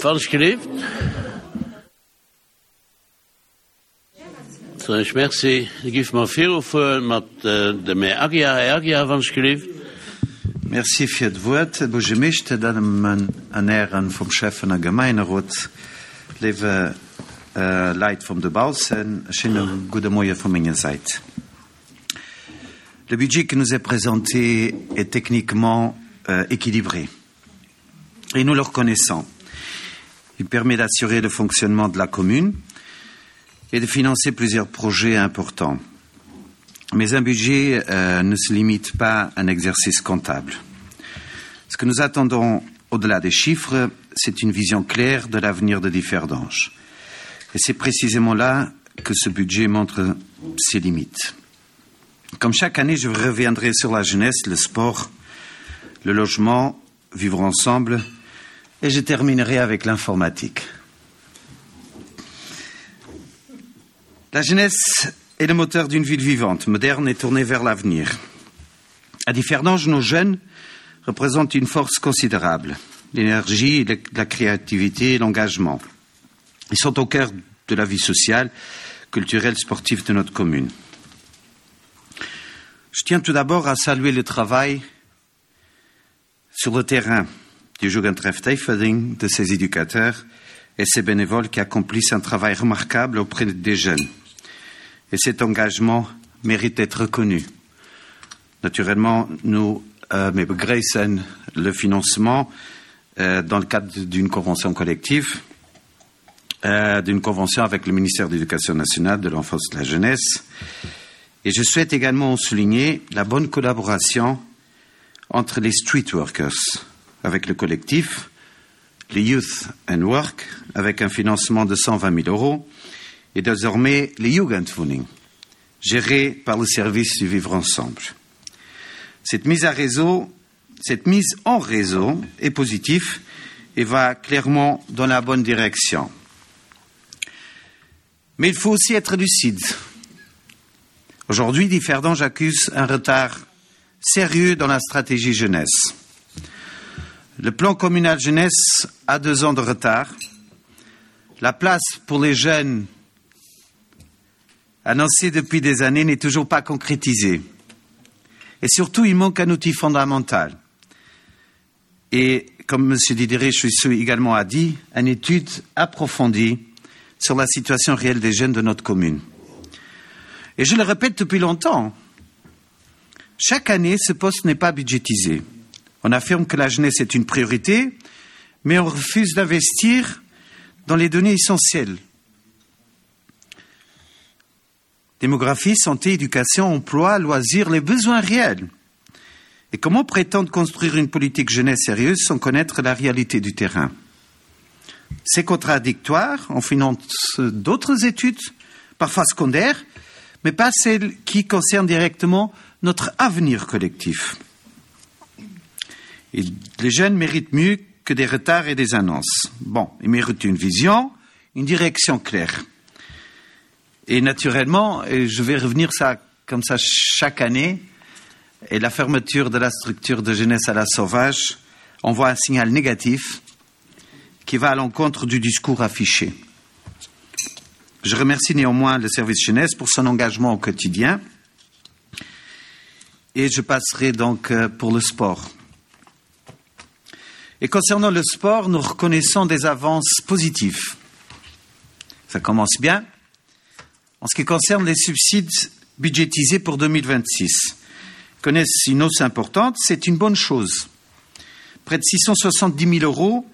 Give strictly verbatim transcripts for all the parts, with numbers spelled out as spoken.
Wann ech gelift. Soen ech Merci. Da géife mer virufuere mat dem Här Aguiar. Här Aguiar, wann ech gelift. Merci fir d'Wuert, Här Buergermeeschter, Dammen an Hären vum Schäffen a Gemeinerot, léiwe Leit vum dobaussen, e schéine gudde Moie vu menger Säit. Le budget qui nous est présenté est techniquement euh, équilibré et nous le reconnaissons. Il permet d'assurer le fonctionnement de la commune et de financer plusieurs projets importants. Mais un budget euh, ne se limite pas à un exercice comptable. Ce que nous attendons au-delà des chiffres, c'est une vision claire de l'avenir de Differdange. Et c'est précisément là que ce budget montre ses limites. Comme chaque année, je reviendrai sur la jeunesse, le sport, le logement, vivre ensemble, et je terminerai avec l'informatique. La jeunesse est le moteur d'une ville vivante, moderne et tournée vers l'avenir. À Differdange, nos jeunes représentent une force considérable, l'énergie, la créativité et l'engagement. Ils sont au cœur de la vie sociale, culturelle, sportive de notre commune. Je tiens tout d'abord à saluer le travail sur le terrain du Jugendtreff Teiferding, de ses éducateurs et ses bénévoles qui accomplissent un travail remarquable auprès des jeunes. Et cet engagement mérite d'être reconnu. Naturellement, nous euh, begrüßen le financement euh, dans le cadre d'une convention collective, euh, d'une convention avec le ministère de l'Éducation nationale, de l'enfance et de la jeunesse. Et je souhaite également souligner la bonne collaboration entre les street workers avec le collectif, les Youth and Work avec un financement de cent vingt mille euros et désormais les Jugendwohnen, gérés par le service du vivre ensemble. Cette mise à réseau, cette mise en réseau est positive et va clairement dans la bonne direction. Mais il faut aussi être lucide. Aujourd'hui, Differdange accuse un retard sérieux dans la stratégie jeunesse. Le plan communal jeunesse a deux ans de retard. La place pour les jeunes annoncée depuis des années n'est toujours pas concrétisée. Et surtout, il manque un outil fondamental. Et comme M. Didier Chouissou également a dit, une étude approfondie sur la situation réelle des jeunes de notre commune. Et je le répète depuis longtemps, chaque année, ce poste n'est pas budgétisé. On affirme que la jeunesse est une priorité, mais on refuse d'investir dans les données essentielles. Démographie, santé, éducation, emploi, loisirs, les besoins réels. Et comment prétendre construire une politique jeunesse sérieuse sans connaître la réalité du terrain? C'est contradictoire, on finance d'autres études, parfois secondaires, mais pas celles qui concernent directement notre avenir collectif. Et les jeunes méritent mieux que des retards et des annonces. Bon, ils méritent une vision, une direction claire. Et naturellement, et je vais revenir ça, comme ça chaque année, et la fermeture de la structure de jeunesse à la Sauvage envoie un signal négatif qui va à l'encontre du discours affiché. Je remercie néanmoins le service jeunesse pour son engagement au quotidien. Et je passerai donc pour le sport. Et concernant le sport, nous reconnaissons des avances positives. Ça commence bien. En ce qui concerne les subsides budgétisés pour deux mille vingt-six, connaissent une hausse importante, c'est une bonne chose. Près de six cent soixante-dix mille euros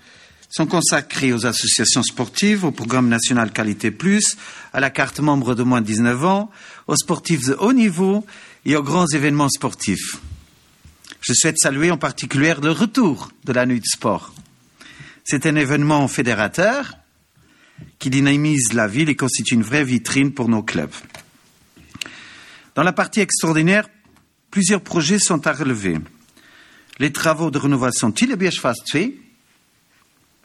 sont consacrés aux associations sportives, au programme national Qualité Plus, à la carte membre de moins de dix-neuf ans, aux sportifs de haut niveau et aux grands événements sportifs. Je souhaite saluer en particulier le retour de la nuit de sport. C'est un événement fédérateur qui dynamise la ville et constitue une vraie vitrine pour nos clubs. Dans la partie extraordinaire, plusieurs projets sont à relever. Les travaux de rénovation Thillebiërg Phase deux,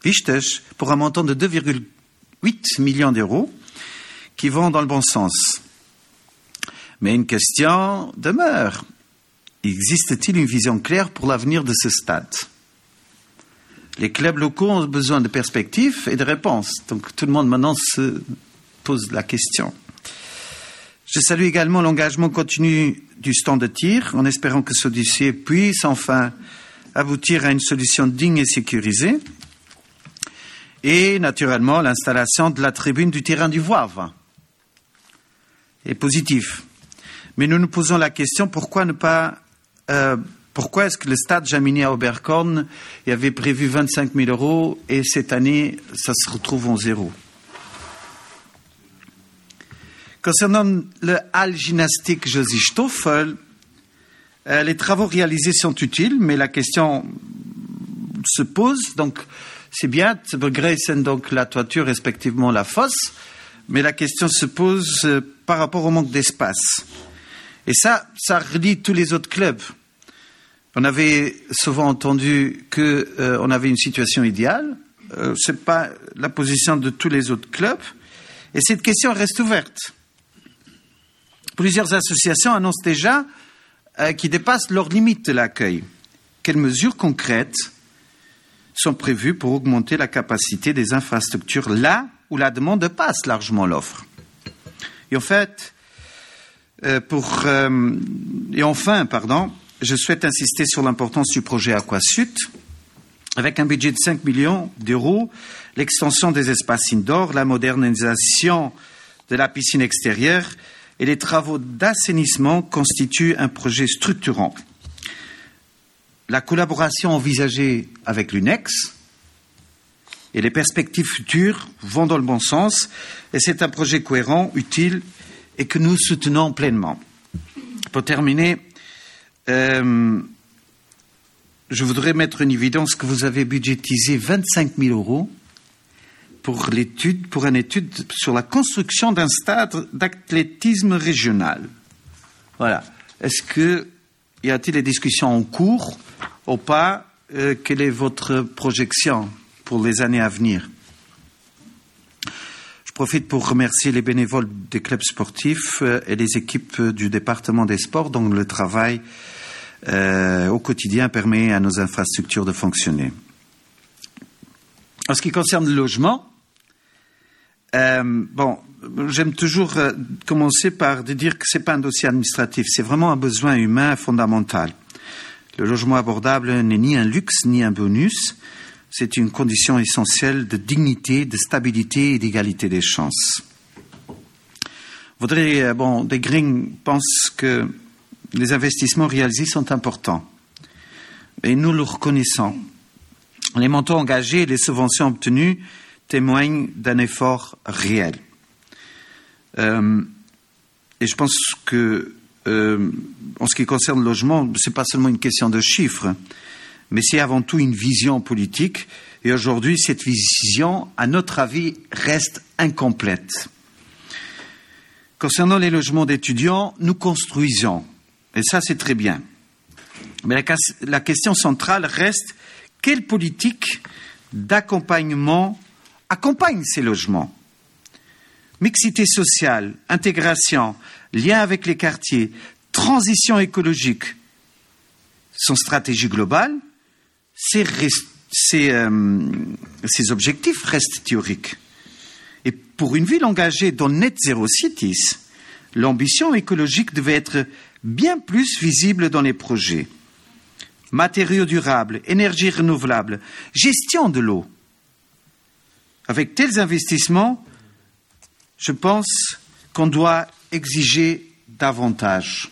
wichteg, pour un montant de deux virgule huit millions d'euros, qui vont dans le bon sens. Mais une question demeure. Existe-t-il une vision claire pour l'avenir de ce stade? Les clubs locaux ont besoin de perspectives et de réponses. Donc tout le monde maintenant se pose la question. Je salue également l'engagement continu du stand de tir, en espérant que ce dossier puisse enfin aboutir à une solution digne et sécurisée. Et naturellement, l'installation de la tribune du terrain du Voivre est positif. Mais nous nous posons la question pourquoi ne pas euh, pourquoi est-ce que le stade Jamini à Oberkorn il avait prévu vingt-cinq mille euros et cette année ça se retrouve en zéro? Concernant le hall gymnastique Josy Stoffel, euh, les travaux réalisés sont utiles, mais la question se pose. Donc c'est bien de donc la toiture, respectivement la fosse, mais la question se pose euh, par rapport au manque d'espace. Et ça, ça relie tous les autres clubs. On avait souvent entendu qu'on euh, avait une situation idéale. Euh, Ce n'est pas la position de tous les autres clubs. Et cette question reste ouverte. Plusieurs associations annoncent déjà euh, qu'ils dépassent leurs limites de l'accueil. Quelles mesures concrètes sont prévues pour augmenter la capacité des infrastructures là où la demande passe largement l'offre? Et en fait, euh, pour, euh, et enfin, pardon, je souhaite insister sur l'importance du projet Aquasud. Avec un budget de cinq millions d'euros, l'extension des espaces indoor, la modernisation de la piscine extérieure et les travaux d'assainissement constituent un projet structurant. La collaboration envisagée avec l'UNEX et les perspectives futures vont dans le bon sens et c'est un projet cohérent, utile et que nous soutenons pleinement. Pour terminer, euh, je voudrais mettre en évidence que vous avez budgétisé vingt-cinq mille euros pour l'étude, pour une étude sur la construction d'un stade d'athlétisme régional. Voilà. Est-ce que y a-t-il des discussions en cours ou pas? euh, Quelle est votre projection pour les années à venir? Je profite pour remercier les bénévoles des clubs sportifs euh, et les équipes du département des sports dont le travail euh, au quotidien permet à nos infrastructures de fonctionner. En ce qui concerne le logement, euh, bon, j'aime toujours euh, commencer par dire que ce n'est pas un dossier administratif, c'est vraiment un besoin humain fondamental. Le logement abordable n'est ni un luxe ni un bonus, c'est une condition essentielle de dignité, de stabilité et d'égalité des chances. Voudrais, euh, bon, déi Gréng pense que les investissements réalisés sont importants et nous le reconnaissons. Les montants engagés et les subventions obtenues témoignent d'un effort réel. Euh, et je pense que, euh, en ce qui concerne le logement, ce n'est pas seulement une question de chiffres, mais c'est avant tout une vision politique. Et aujourd'hui, cette vision, à notre avis, reste incomplète. Concernant les logements d'étudiants, nous construisons. Et ça, c'est très bien. Mais la, la question centrale reste: quelle politique d'accompagnement accompagne ces logements? Mixité sociale, intégration, lien avec les quartiers, transition écologique. Sans stratégie globale, ces, ces, euh, ces objectifs restent théoriques. Et pour une ville engagée dans Net Zero Cities, l'ambition écologique devait être bien plus visible dans les projets. Matériaux durables, énergie renouvelable, gestion de l'eau. Avec tels investissements, je pense qu'on doit exiger davantage.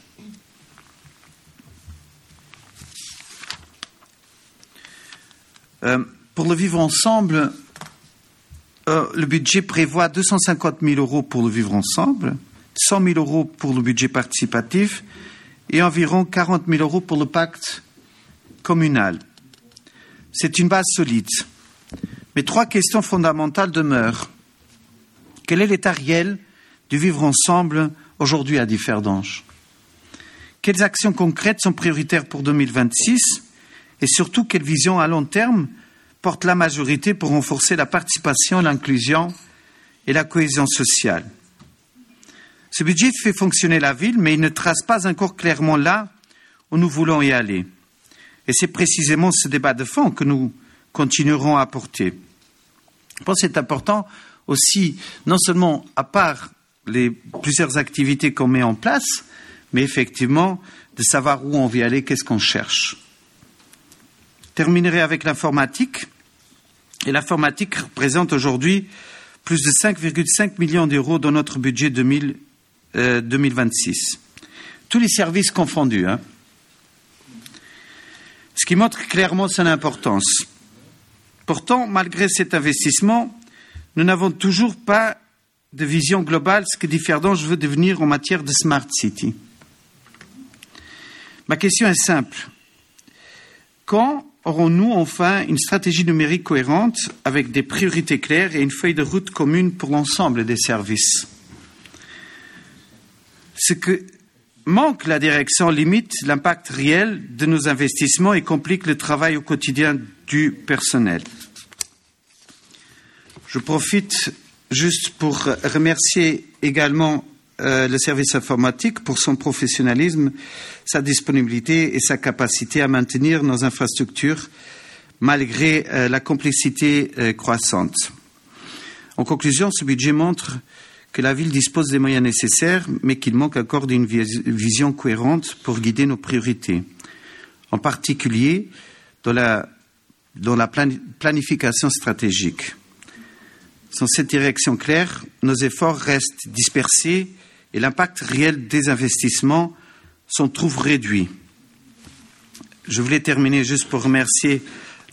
Euh, pour le vivre ensemble, euh, le budget prévoit deux cent cinquante mille euros pour le vivre ensemble, cent mille euros pour le budget participatif et environ quarante mille euros pour le pacte communal. C'est une base solide. Mais trois questions fondamentales demeurent. Quel est l'état réel du vivre ensemble aujourd'hui à Differdange? Quelles actions concrètes sont prioritaires pour deux mille vingt-six? Et surtout, quelle vision à long terme porte la majorité pour renforcer la participation, l'inclusion et la cohésion sociale? Ce budget fait fonctionner la ville, mais il ne trace pas encore clairement là où nous voulons y aller. Et c'est précisément ce débat de fond que nous continuerons à apporter. Je pense que c'est important aussi, non seulement à part les plusieurs activités qu'on met en place, mais effectivement de savoir où on veut aller, qu'est-ce qu'on cherche. Terminerai avec l'informatique. Et l'informatique représente aujourd'hui plus de cinq virgule cinq millions d'euros dans notre budget deux mille, euh, deux mille vingt-six. Tous les services confondus, hein. Ce qui montre clairement son importance. Pourtant, malgré cet investissement, nous n'avons toujours pas de vision globale, ce que Differdange veut devenir en matière de Smart City. Ma question est simple. Quand aurons-nous enfin une stratégie numérique cohérente avec des priorités claires et une feuille de route commune pour l'ensemble des services? Ce que manque la direction limite l'impact réel de nos investissements et complique le travail au quotidien du personnel. Je profite juste pour remercier également, euh, le service informatique pour son professionnalisme, sa disponibilité et sa capacité à maintenir nos infrastructures malgré, euh, la complexité, euh, croissante. En conclusion, ce budget montre que la ville dispose des moyens nécessaires, mais qu'il manque encore d'une vis-, vision cohérente pour guider nos priorités, en particulier dans la, dans la plan-, planification stratégique. Sans cette direction claire, nos efforts restent dispersés et l'impact réel des investissements s'en trouve réduit. Je voulais terminer juste pour remercier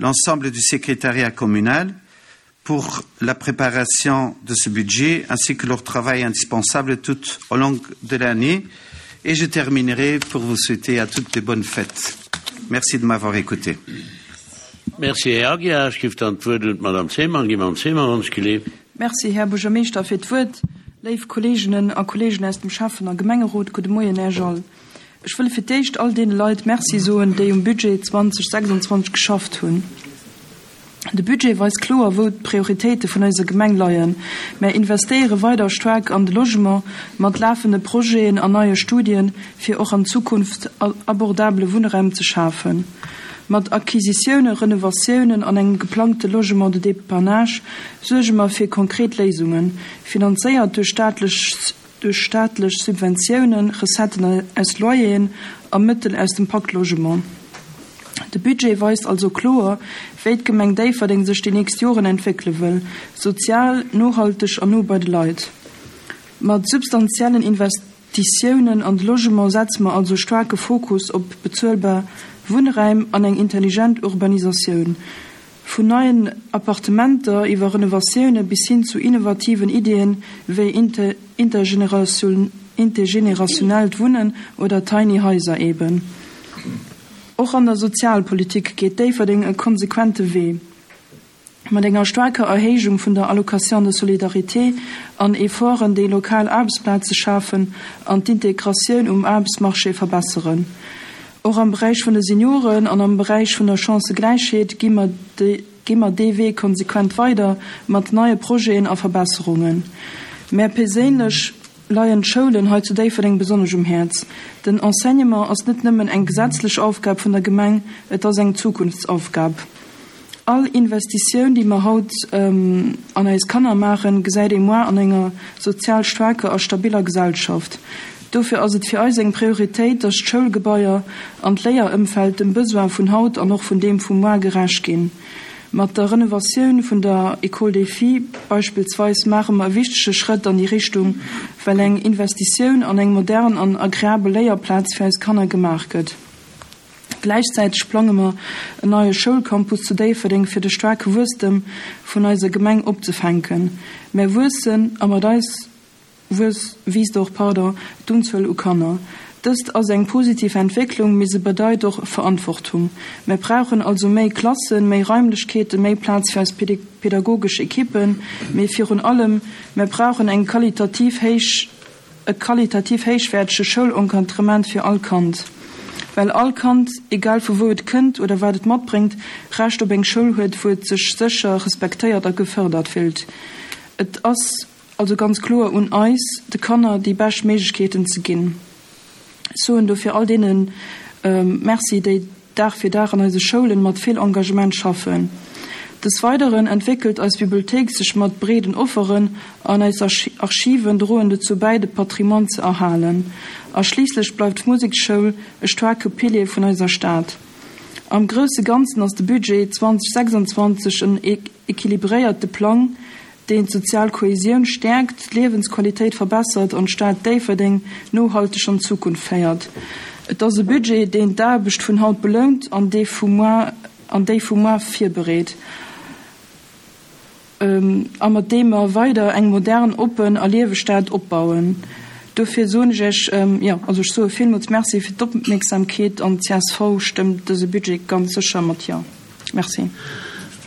l'ensemble du secrétariat communal pour la préparation de ce budget ainsi que leur travail indispensable tout au long de l'année. Et je terminerai pour vous souhaiter à toutes de bonnes fêtes. Merci de m'avoir écouté. Merci, Herr Aguiar. Ich gebe dann das Wort Madame Seemann. Gib Madame Seemann uns gelebt. Merci, Herr Bürgermeister, für das Wort. Liebe Kolleginnen und Kollegen aus dem Schaffen- und Gemeinderat, guten Morgen, Herr Joll. Ich will für dich all den Leuten Merci sagen, die im Budget zwanzig sechsundzwanzig geschafft haben. De Budget weist kloer, wou d'Prioritéite vun eiser Gemeng leien. Mir investéiere weider staark an de Logement mat lafende Projeten an neie Studien, fir och an Zukunft a-, abordable Wunnraum ze schafen. Mat Acquisitiounen, Renovatiounen an engem geplangte Logement de Dépannage suerge mer fir konkret Léisungen, finanzéiert duerch staatlech, duerch staatlech Subventiounen, Recetten aus Loyeren a Mëttel aus dem Pakt Logement. De Budget weist also kloer, wéi d'Gemeng Déifferdeng sech déi nächst Joren entwéckele wëll, sozial, nohalteg an no bei de Leit. Mat substantiellen Investitiounen an de Logement setze mer also staarke Fokus op bezuelbar Wunnraim an eng intelligent Urbanisatioun. Vun neien Appartementer iwwer Renovatioune bis hin zu innovativen Ideen wéi inter-, intergeneration-, intergenerationellt Wunnen oder Tiny Häuser eben. Och an der Sozialpolitik geet Déifferdeng e konsequente Wee. Mat enger staarker Erhéijung vun der Allocation de solidarité an Efforten, déi lokal Aarbechtsplaze schafen an d'Integratioun um Aarbechtsmarché verbesseren. Och am Beräich vun de Senioren an am Beräich vun der Chancëgläichheet gi mer de, gi mer dee Wee konsequent weider mat neie Projeten a Verbesserungen. Mir perséinlech leien d'Schoulen hei zu Déifferdeng besonnesch um Häerz. Den Enseignement ass net nëmmen eng gesetzlech Aufgab vun der Gemeng, et ass eng Zukunftsaufgab. All Investitioun, déi mer haut, ähm, an eis Kanner maachen, gesäit ee muer an enger sozial staarker a stabiller Gesellschaft. Dofir ass et fir eis eng Prioritéit, dass d'Schoulgebaier an d'Léierëmfeld dem Besoin vun haut an och vun deem vu muer gerecht ginn. Mat der Renovatioun vun der École des Filles beispillsweis maache mer e wichtege Schrëtt an déi Richtung, well eng Investitioun an eng modern an agreabel Léierplaz fir eis Kanner gemaach gëtt. Gläichzäiteg plange mer en neie Schoulcampus zu Déifferdeng fir de staarke Wuesstem vun eiser Gemeng opzefänken. Mir wuessen a mat eis wuess-, wiisst och, pardon, d'Unzuel u Kanner. Dëst ass eng positiv Entwécklung, mee se bedeit och Verantwortung. Mir brauchen also méi Klassen, méi Raimlechkeeten, méi Plaz fir eis pädag-, pädagogesch Ekippen, mee virun allem, mir brauchen eng qualitativ héich, e qualitativ héichwäertege Schoulencadrement fir all Kand. Well all Kand, egal vu wou et kënnt oder wat et matbréngt, Recht op eng Schoul huet, wou et sech sécher, respektéiert a gefërdert fillt. Et ass also ganz kloer un eis, de Kanner déi bescht Méiglechkeeten ze ginn. Soen dofir all deenen, ähm, Merci, déi Dag fir Dag an eise Schoulen mat vill Engagement schaffen. Des Weiteren entwéckelt eis Bibliothéik sech mat breeden Offeren an eis Archiven droen dozou bäi, de Patrimoine ze erhalen. A schliisslech bleift d'Musekschoul e staarke Pilier vun eiser Stad. Am grousse Ganzen ass de Budget zweedausendsechsanzwanzeg en equilibréierte Plang, deen d'sozial Kohesioun stäerkt, d'Liewensqualitéit verbessert an d'Stad Déifferdeng nohalteg an d'Zukunft féiert. Et ass e Budget, deen d'Aarbecht vun haut belount an déi vu muer an déi vu muer virbereet a mat deem mer weider eng modern, oppen a lieweg Stad opbauen. Dofir soen ech Iech, jo, also ech soe villmools Merci fir d'Opmierksamkeet an d'C S V stëmmt dëse Budget ganz sécher mat Jo. Merci.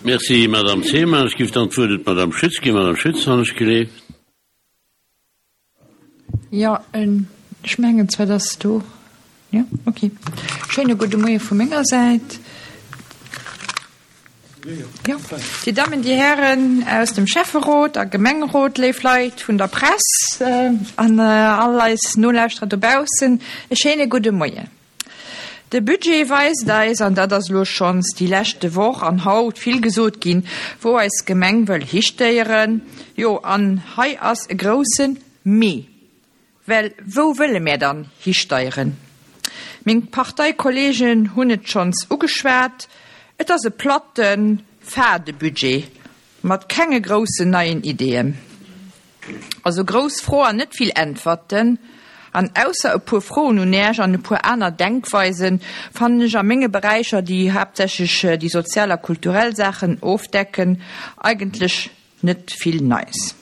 Merci, Madame Zeman. Ech géif dann d'Wuert un d'Madame Schütz ginn. Madame Schütz, wann ech geleeft. Jo, ech mengen zwar, dass du, jo, okay. Schéine gudde Moie vu menger Säit. Jo. Dir Dammen, Dir Hären aus dem Schäfferot a Gemengerot, léif Leit vun der Press äh, an äh, all eis Nolauschterer dobaussen, e schéine gudde Moien. De Budget weist eis, an dat ass lo schonns déi leschte Woch an haut vill gesot ginn, wou eis Gemeng wëll histéieren. Jo, an hei ass e grousse Mee. Well wou wëlle mir dann histeieren? Meng Parteikollegen hunn et schonns ugeschwat, et ass e platten, fade Budget mat kenge groussen neien Ideeën. Also grouss Froen, net vill Äntwerten, an ausser e puer Froen un Iech an e puer aner Denkweisen fannen ech a menge Beräicher, déi haaptsächlech déi sozial a kulturell Saachen ofdecken, eigentlech net vill Neies.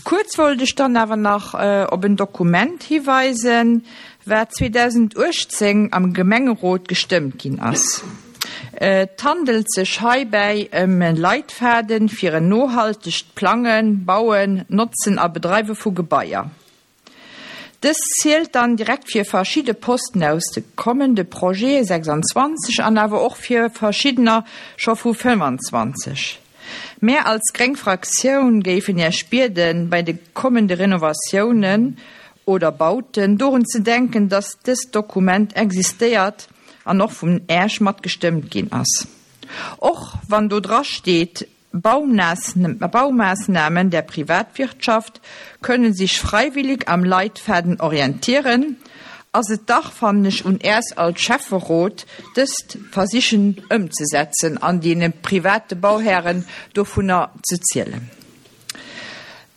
Kuerz wollt ech dann awer nach äh, op en Dokument hiweisen, wat zweedausenduechtzéng am Gemengerot gestëmmt ginn ass. Et handelt sech heibäi ëm e Leitfaden fir en nohaltegt Plangen, Bauen, Notzen a Bedreiwe vu Gebaier. Dës zielt dann direkt fir verschidde Posten aus de kommende Projete sechsanzwanzeg an awer och fir verschiddener scho vu fënnefanzwanzeg. Mär als gréng Fraktioun géifen Iech bieden, bei de kommende Renovatiounen oder Bauten dorun ze denken, dass dëst Dokument existéiert an och vun Iech matgestëmmt ginn ass. Och wann do dra steet, Baumaßnahmen der Privatwirtschaft können sich freiwillig am Leitfaden orientieren, ass et dach, fannen ech, un Iech als Schäfferot, dëst versichen ëmzesetzen an deene private Bauhären dovunner ze zielen.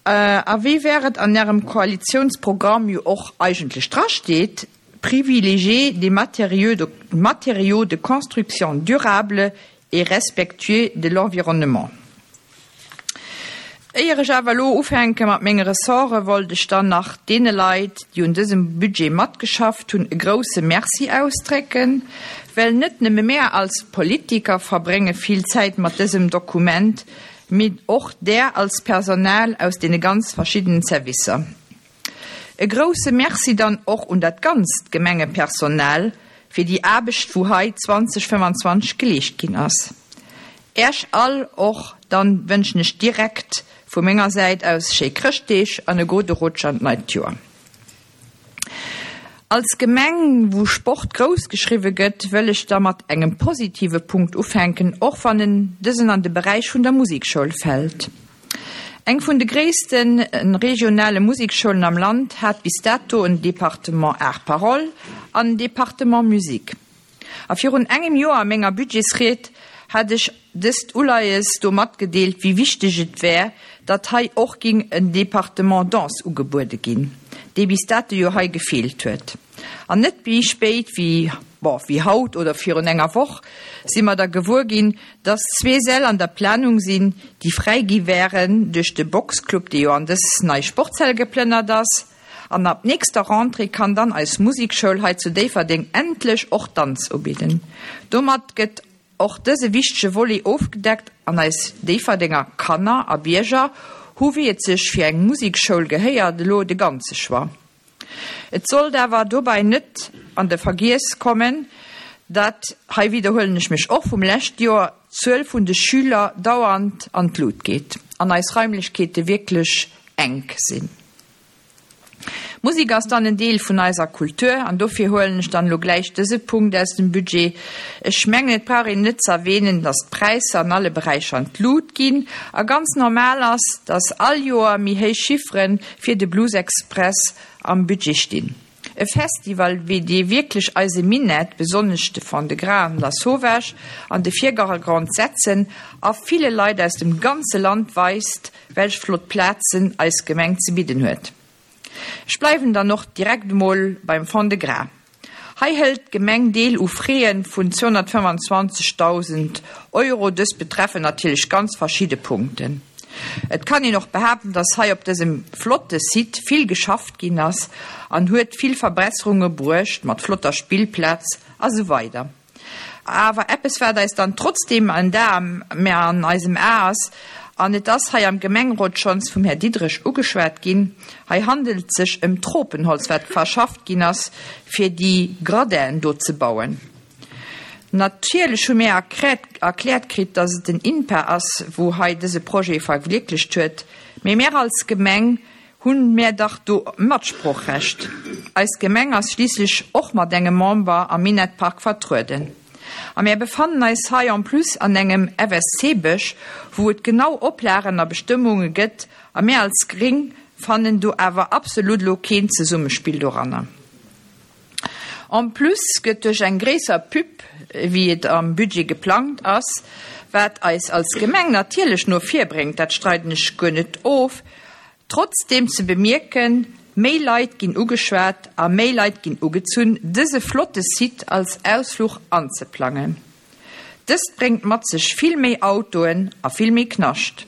Äh, a wéi et an Ärem Koalitiounsprogramm jo och eigentlech drasteet, privilégier des matériaux de, matériaux de construction durables et respectueux de l'environnement. Éier ech awer lo ufänke mat menge Ressorte, wollt ech dann nach deene Leit, déi un dësem Budget matgeschafft hunn, e grousse Merci ausdrécken, well net nëmme mär als Politiker verbrénge vill Zäit mat dësem Dokument, mee och där als Personal aus deene ganz verschiddenen Servicer. E grousse Merci dann och un dat ganzt Gemengepersonal fir déi Aarbecht, wou hei zweedausendfënnfanzwanzeg geleescht ginn ass. Iech all och dann wënschen ech direkt vu menger Säit aus schéi Chrëschtdeeg an e gudde Rutsch an d'neit Joer. Als Gemeng, wou Sport grouss geschriwwe gëtt, wëll ech da mat engem positive Punkt ufänken, och wann en dësen an de Beräich vun der Musekschoul fält. Eng vun de gréisste regionale Museksschoulen am Land hat bis dato en Département Art Parole an en Département Musique. A virun engem Joer a menger Budgetsried hat ech dëst Uleies do matgedeelt, wéi wichteg et wär, datt hei och géing en Département Danse ugebuede ginn, dee bis dato jo hei gefeelt huet. An net méi spéit wéi, bon, wéi haut oder virun enger Woch si mer da gewuer ginn, datt zwee Säll an der Planung sinn, déi fräi gi wären duerch de Boxclub, dee jo an dës nei Sportshal geplënnert ass. An ab nächster Rentrée kann dann eis Musekschoul hei zu Déifferdeng endlech och Danz ubidden. Domat gëtt och dëse wichtege Volet ofgedeckt an eis Déifferdenger Kanner a Bierger hu, wéi et sech fir eng Musekschoul gehéiert, elo de ganze Choix. Et sollt awer dobäi net an de Vergiess kommen, datt, hei widderhuelen ech mech och vum leschte Joer, d'Zuel vun de Schüler dauernd an d'Lut geet an eis Raimlechkeete wierklech enk sinn. Musek ass dann en Deel vun eiser Kultur an dofir huelen ech dann elo gläich dëse Punkt aus dem Budget. Ech mengen, et brauch een net ze erwähnen, dass d'Präisser an alle Beräicher an d'Lut ginn a ganz normal ass, dass all Joer méi héich Chiffere fir de Blues Express am Budget stinn. E Festival wéi dee wierklech eise Minett, besonnesch de Fond-de-Gras an Lasauvage, an de Virdergrond setzen a ville Leit aus dem ganze Land weist, welch flott Plazen eis Gemeng ze bidden huet. Ech bleiwen dann och direkt emol beim Fond-de-Gras. Hei hëlt d'Gemeng Deel u Fräen vun zweehonnertfëmmanzwanzegdausend Euro. Dës betreffen natierlech ganz verschidde Punkten. Et kann een och behaapten, dass hei op dësem flotte Site vill geschafft ginn ass an huet vill Verbesserunge bruecht mat flotter Spillplaz a sou weider. Awer eppes wat eis dann trotzdeem en Dar méi an eisem A ass, an et ass hei am Gemengerot schonns vum Här Diderich ugeschwat ginn, hei handelt et sech ëm Tropenholz, wat verschafft ginn ass, fir déi Gradinen do ze bauen. Natierlech hu mir erkläert kritt, dass et den INPA ass, wou hei dëse Projet verwierklecht huet, mee mir als Gemeng hunn mir dach do Matsproochrecht. Eis Gemeng ass schliisslech och mat engem Member am Minettpark vertrueden. A mir befannen eis hei en plus an engem F S C-Bësch, wou et genau Oplagen a Bestëmmunge gëtt, a mir als Gréng fannen do awer absolut lo keen Zesummespill doranner. En plus gëtt duerch eng gréisser Pub, wéi et am Budget geplangt ass, wat eis als Gemeng natierlech no vir bréngt, dat streiden ech guer net of, trotzdeem ze bemierken, méi Leit ginn ugeschwat a méi Leit ginn ugezunn, dëse flotte Site als Ausfluch anzeplangen. Dëst bréngt mat sech vill méi Autoen a vill méi Knascht.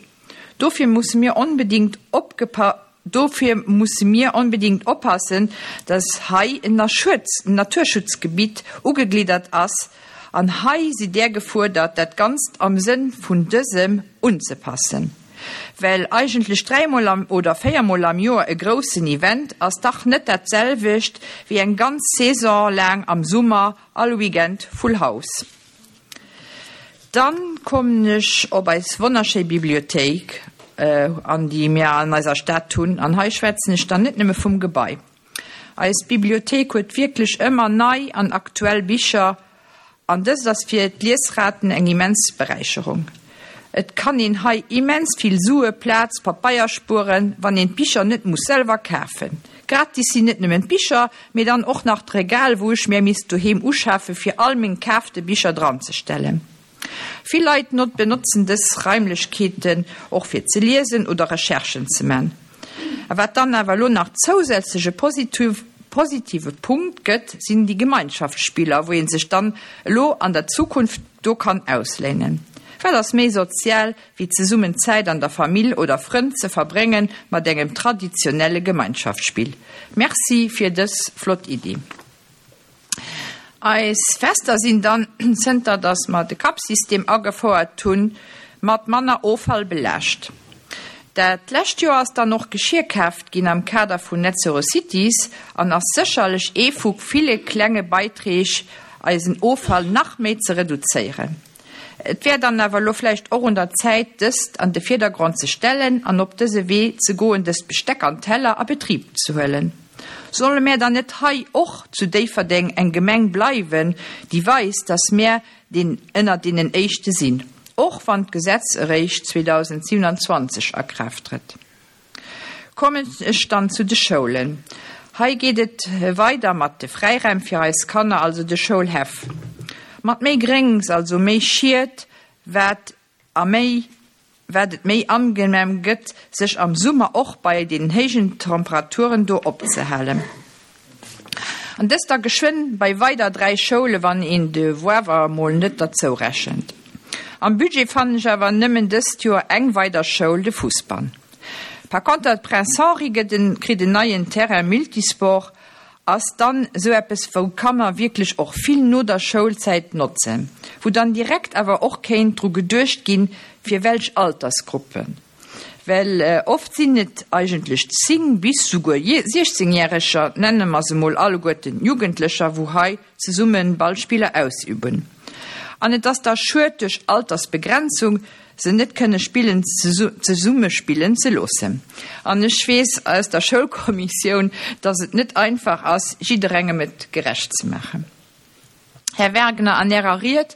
Dofir musse mir onbedéngt opgepa dofir musse mir onbedéngt oppassen, dass hei en Naturschutzgebitt ugegliddert ass an hei sidd Dir gefuerdert, dat Ganzt am Sënn vun dësem unzepassen. Well eigentlech dräimol am oder véiermol am Joer e groussen Event ass dach net dat selwecht wéi eng ganz Saison laang am Summer all Weekend full house. Dann kommen ech op eis wonnerschéi Bibliothéik äh, an déi mir an eiser Stad hunn, an hei schwätzen ech dann net nëmme vum Gebai. Eis Bibliothéik huet wierklech ëmmer nei an aktuell Bicher, an dëst ass fir d'Liesraten eng immens Beräicherung. Et kann een hei immens vill Sue, Plaz, Pabeier spueren, wann een d'Bicher net muss selwer kafen. Gratis sinn net nëmmen d'Bicher, mee dann och nach d'Regal, wou ech mir misst doheem uschafe fir all meng gekaafte Bicher dran ze stellen. Vill Leit not benotzen dës Raimlechkeeten och fir ze liesen oder Recherchen ze man. A wat dann awer lo nach zousätzleche positiv, positive Punkt gëtt, sinn déi Gemeinschaftsspiller, wou een sech dann lo an der Zukunft do kann ausléinen. Wat ass méi sozial, wéi zesummen Zäit an der Famill oder Frënn ze verbréngen mat engem traditionelle Gemeinschaftsspill. Merci fir dës flott Iddi. Eis Fester sinn dann zënter dass mer de Cup-System agefouert hunn, mat manner Offall belaascht. Dat lescht Joer ass dann och Geschier kaaft ginn am Kader vun Net Zero Cities an ass sécherlech ee vu ville klenge Beiträg eisen Offall nach méi ze reduzéieren. Et wär dann awer lo vläicht och un der Zäit, dëst an de Virdergrond ze stellen an op dëse Wee ze goen, dëst Besteck an Teller a Betrib ze huelen. Solle mir dann net hei och zu Déifferdeng eng Gemeng bleiwen, déi weist, dass mir den ënner deenen Éischte sinn, och wann d'Gesetz eréischt zweedausendsiewenundzwanzeg a Kraaft trëtt. Kommen ech dann zu de Schoulen. Hei geet et weider mat de Fräiraim fir eis Kanner, also de Schoulhäff. Mat méi Gréngs, also méi Schied, wat a méi wat et méi angenehm gëtt, sech am Summer och bei den héijen Temperaturen do opzehalen. An dëst da geschwënn bei weider dräi Schoule wann een de Woawer mol net derzou rechent. Am Budget fannen ech awer nëmmen dëst Joer eng weider Schoul, de Fousbann. Par conter Prince Henri gëtt en, kritt en neien Terrain multisport, ass dann sou eppes wou Kanner wierklech och vill no der Schoulzäit notzen, wou dann direkt awer och kéint dru geduecht ginn, fir welch Altersgruppen. Well äh, oft sinn et eigentlech zéng bis souguer siechzéngjäreger, nenne mer se mol alleguerten Jugendlecher, wou hei zesumme Ballspiller ausüben. An et ass da schued duerch Altersbegrenzung se net kënne spillen zesumme spillen ze loossen. An ech weess aus der Schoulkommissioun, dass et net einfach ass, jidderengem et gerecht ze maachen. Här Wagner, an Ärer Ried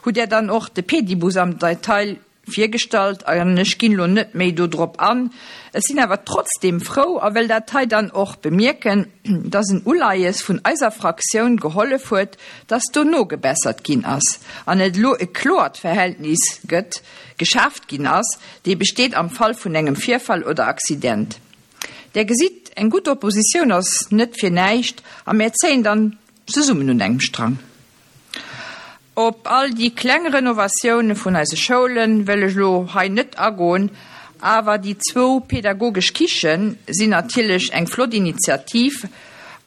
hutt Där dann och de Pedibus am Detail virgestallt an ech ginn elo net méi do drop an. Ech sinn awer trotzdem frou a wëll dat hei dann och bemierken, dass en Uleies vun eiser Fraktioun gehollef huet, dass do nogebessert ginn ass an et elo e kloert Verhältnis gëtt, geschaaft ginn ass, dee besteet am Fall vun engem Virfall oder Accident. Der gesitt, eng gutt Oppositioun ass net fir näischt a mär zéien dann zesummen un engem Strang. Op all déi kleng Renovatioune vun eise Schoule wëll ech elo hei net agoen, awer déi zwou pedagogesch Kiche sinn natierlech eng flott Initiativ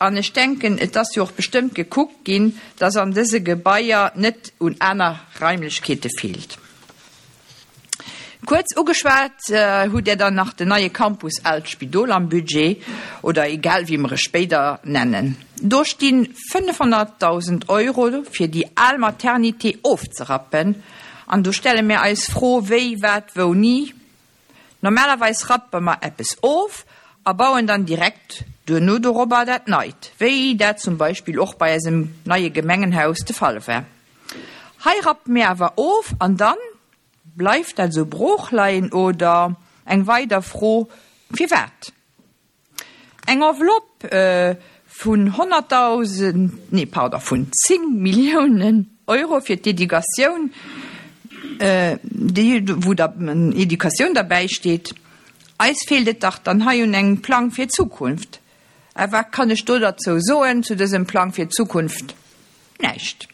an ech denken, et ass jo och bestëmmt gekuckt ginn, dass an dëse Gebaier net un aner Raimlechkeete feelt. Kuerz ugeschwat hutt Där dann nach den neie Campus Aalt Spidol am Budget, oder egal wéi mer e spéider nennen. Do sti fënnefhonnertdausend Euro fir déi al Maternité ofzerappen an do stelle mir eis Fro, wéi, wat, wouni? Normalerweis rappe mer eppes of a bauen dann direkt duerno dorobber dat Neit, wéi dat zum Beispill och bei eisem neie Gemengenhaus de Fall war. Hei rappe mir awer of an dann? Bleift dat esou brooch leien oder, eng weider Fro, firwat? Eng Enveloppe vun honnertdausend, nee pardon, vun zéng Milliounen Euro fir d'Educatioun, déi, wou da Educatioun derbäi steet. Eis feelt et dach dann hei un engem Plang fir d'Zukunft. A wat kann ech do derzou soen, zu dësem Plang fir d'Zukunft? Näischt.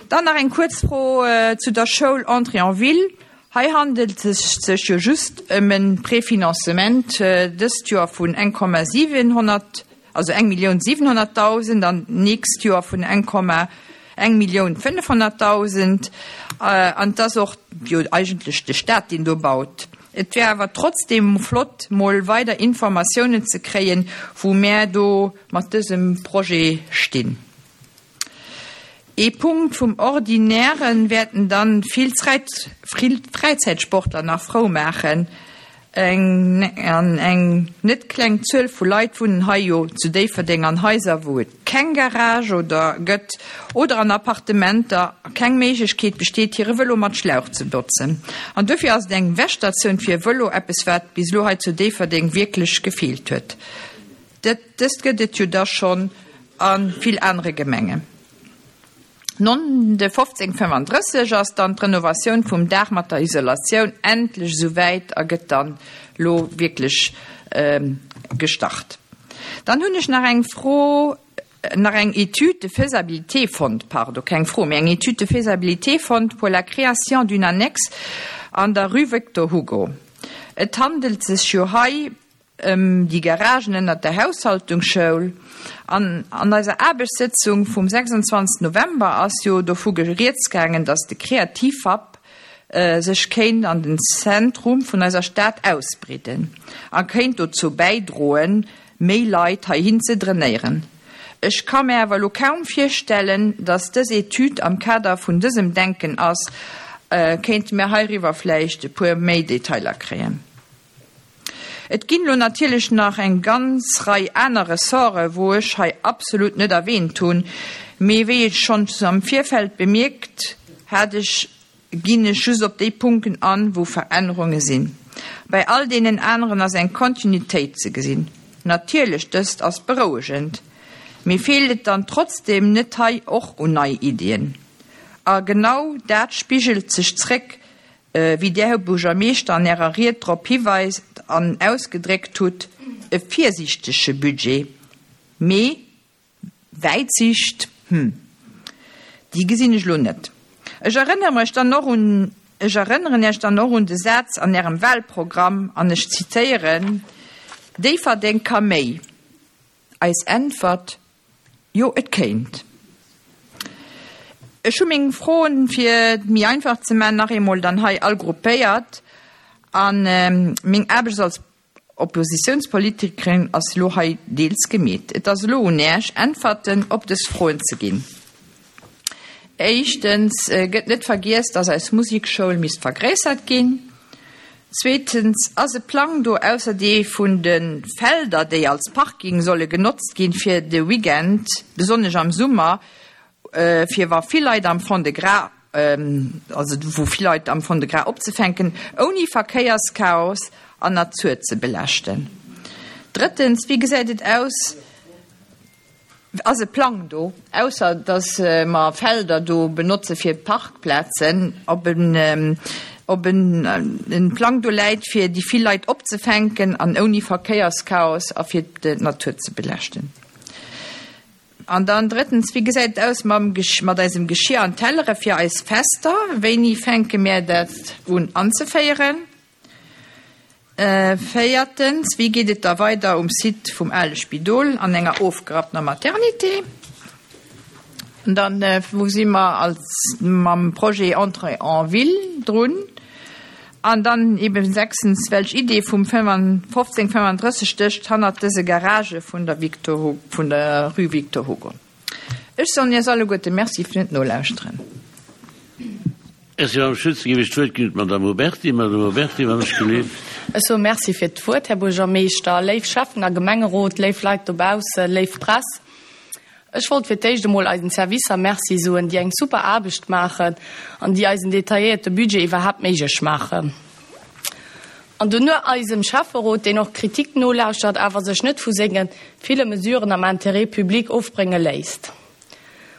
Dann nach eng kuerz Fro zu der Schoul Entrée en ville. Hei handelt et sech jo just ëm e Préfinancement dëst Joer vun eng Komma siwenhonnert, also eng Millioun siwenhonnertdausend an d'nächst Joer vun eng Komma eng Millioun fënnefhonnertdausend. An et ass och jo eigentlech de Stat, deen do baut. Et wär awer trotzdem flott, mol weider Informatiounen ze kréien, wou mär do mat dësem Projet stinn. Ee Punkt vum Ordinäre wäerten dann vill Fräizäitsportler nach frou maachen. Eng an eng net kleng Zuel vu Leit wunnen hei jo zu Déifferdeng an Haiser, wou et keng Garage oder gëtt oder an Appartementer a keng Méiglechkeet besteet, hire Vëlo mat Schlauch ze botzen. An dofir ass et eng Wäschstatioun fir Vëlo eppes, wat bis elo hei zu Déifferdeng wierklech gefeelt huet. Dëst gëtt et jo da schonn a vill anere Gemengen. Non de fofzéng fënnefandrësseg ass dann d'Renovatioun vum Daach mat der Isolatioun endlech esou wäit a gëtt dann lo wierklech gestart. Dann hunn ech nach eng Fro, nach eng Étude de faisabilité fonnt, pardon, keng Fro, mee eng Étude de faisabilité fonnt pour la création d'une annexe an der rue Victor Hugo. Et handelt sech jo hei ëm déi Garagen ënnert der Haushaltungsschoul. An an eiser Aarbechtssëtzung vum sechsundzwanzeg November ass jo dovu rieds gaangen, datt de Kreativhub sech kéint an den Zentrum vun eiser Stad ausbreeden a kéint dozou bäidroen, méi Leit heihin ze drainéieren. Ech ka mär awer elo kaum virstellen, datt dës Etüd am Kader vun dësem Denken ass. Kéinte mir heiriwwer vläicht e puer méi Detailer kréien? Et ginn elo natierlech nach eng ganz Rei aner Ressorte wou ech hei absolut net erwähnt hunn, mee wéi ech schonns am Virfeld bemierkt hat ech, ginn ech just op déi Punkten an, wou Verännerunge sinn. Bei all deenen aneren ass eng Kontinuitéit ze gesinn. Natierlech, dëst ass berouegend, mee feelt et dann trotzdem net hei och un nei Iddien? A genau dat spigelt sech zréck, wéi Där, Här Buergermeeschter, an Ärer Ried drop hiweist an ausgedréckt hutt, e virsiichtege Budget, mee Wäitsicht, hm, déi gesinn ech elo net. Ech erënnere mech dann och un, ech erënneren Iech dann och un de Saz an Ärem Wahlprogramm, an ech zitéieren, Déifferdeng ka méi. Eis Äntwert, Jo, et kéint. Ech hu meng Froen, fir et méi einfach ze man, nach eemol dann hei all gruppéiert. A meng Aarbecht als Oppositiounspolitikerin ass elo hei deels gemeet. Et ass elo un Äech, Äntwerten op dës Froen ze ginn. Éischtens, gëtt net vergiess, dass eis Musekschoul misst vergréissert ginn? Zweetens, ass e Plang do, ausser dee vun de Felder, déi als Parking solle genotzt ginn fir de Weekend, besonnesch am Summer, fir wa vill Leit am Fond-de-Gras, also wou vill Leit am Fond-de-Gras opzefänken, ouni Verkéierschaos an Natur ze belaaschten? Drëttens, wéi gesäit et aus, ass e Plang do, ausser dass mer Felder do benotze fir Parkplazen, ob en, ob en Plang do läit, fir déi vill Leit opzefänken an ouni Verkéierschaos a fir d'Natur ze belaaschten? An dann drëttens, wéi gesäit et aus mam, mat eisem Geschir an Tellere fir eis Fester? Wéini fänke mir dat un anzeféieren? Véiertens, wéi geet et da weider um Site vum ale Spidol an enger ofgerapptener Maternité? An dann, wou si mer als mam Projet Entrée en ville drun? An dann eben sechstens, welch Idee vum fofzéng fënnenddrësseg stécht hannert dëse Garagë vun der Victor, vun der Rue Victor Hugo? Ech soen Iech alleguerte Merci fir d'Nolauschteren. Merci, Madame Schütz. Da géif ech d'Wuert ginn un d'Madame Huberty. Madame Huberty, wann ech gelift. Ech soe Merci fir d'Wuert, Här Buergermeeschter, léif Schäffen a Gemengerot, léif Leit dobaussen, léif Press. Ech wollt fir d'éischt emol eisen Servicer Merci soen, déi eng super Aarbecht maachen an déi eisen detailléierte Budget iwwerhaapt méiglech maachen. An dono eisem Schäfferot, deen och Kritik nolauschtert, awer sech net vu senge ville Mesuren am Intérêt public ofbrénge léisst.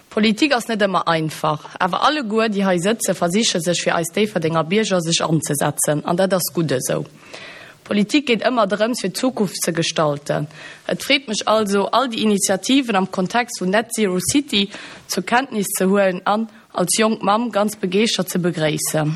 Politik ass net ëmmer einfach, awer alleguer, déi hei sëtzen, versiche sech fir eis Déifferdenger Bierger sech anzesetzen, an dat ass gutt esou. Politik geet ëmmer drëms, fir d'Zukunft ze gestalten. Et freet mech also, all déi Initiativen am Kontext vun Net Zero City zur Kenntnis ze huelen an, als jonk Mamm, ganz begeeschtert ze begréissen.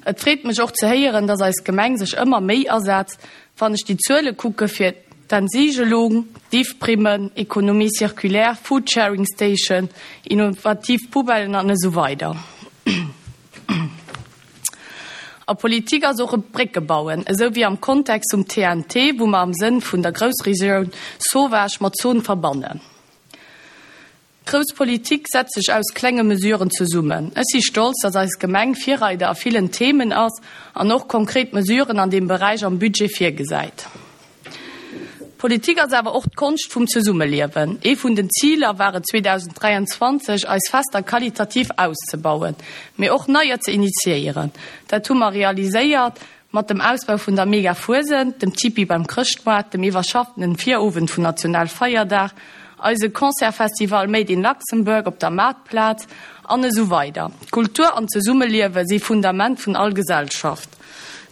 Et freet mech och ze héieren, dass eis Gemeng sech ëmmer méi asetzt, wann ech déi Zuele kucke fir d'Entsigelung, d'If-Primmen, Économie circulaire, Foodsharing Station, innovativ Poubellen an esou weider. A Politik ass och e Brécke bauen, esou wéi am Kontext vum T N T, wou mer am Sënn vun der Groussregioun Sauvage mat Zone verbannen. Grouss Politik setzt sech aus klenge Mesuren zesummen. Ech si stolz, dass eis Gemeng Virreider a villen Themen ass an och konkret Mesuren an deem Beräich am Budget virgesäit. Politik ass awer och d'Konscht vum Zesummeliewen. Ee vun den Ziler war et zweedausendräianzwanzeg, eis Fester qualitativ auszebauen, mee och neier ze initiéieren. Dat hu mer realiséiert mat dem Ausbau vun der Mega-Fuesent, dem Tipi beim Chrëschtmoart, dem iwwerschaffenen Virowend vun Nationalfeierdag, eise Concertsfestival Made in Luxembourg op der Maartplaz an esou weider. Kultur an Zesummeliewe si Fundament vun all Gesellschaft.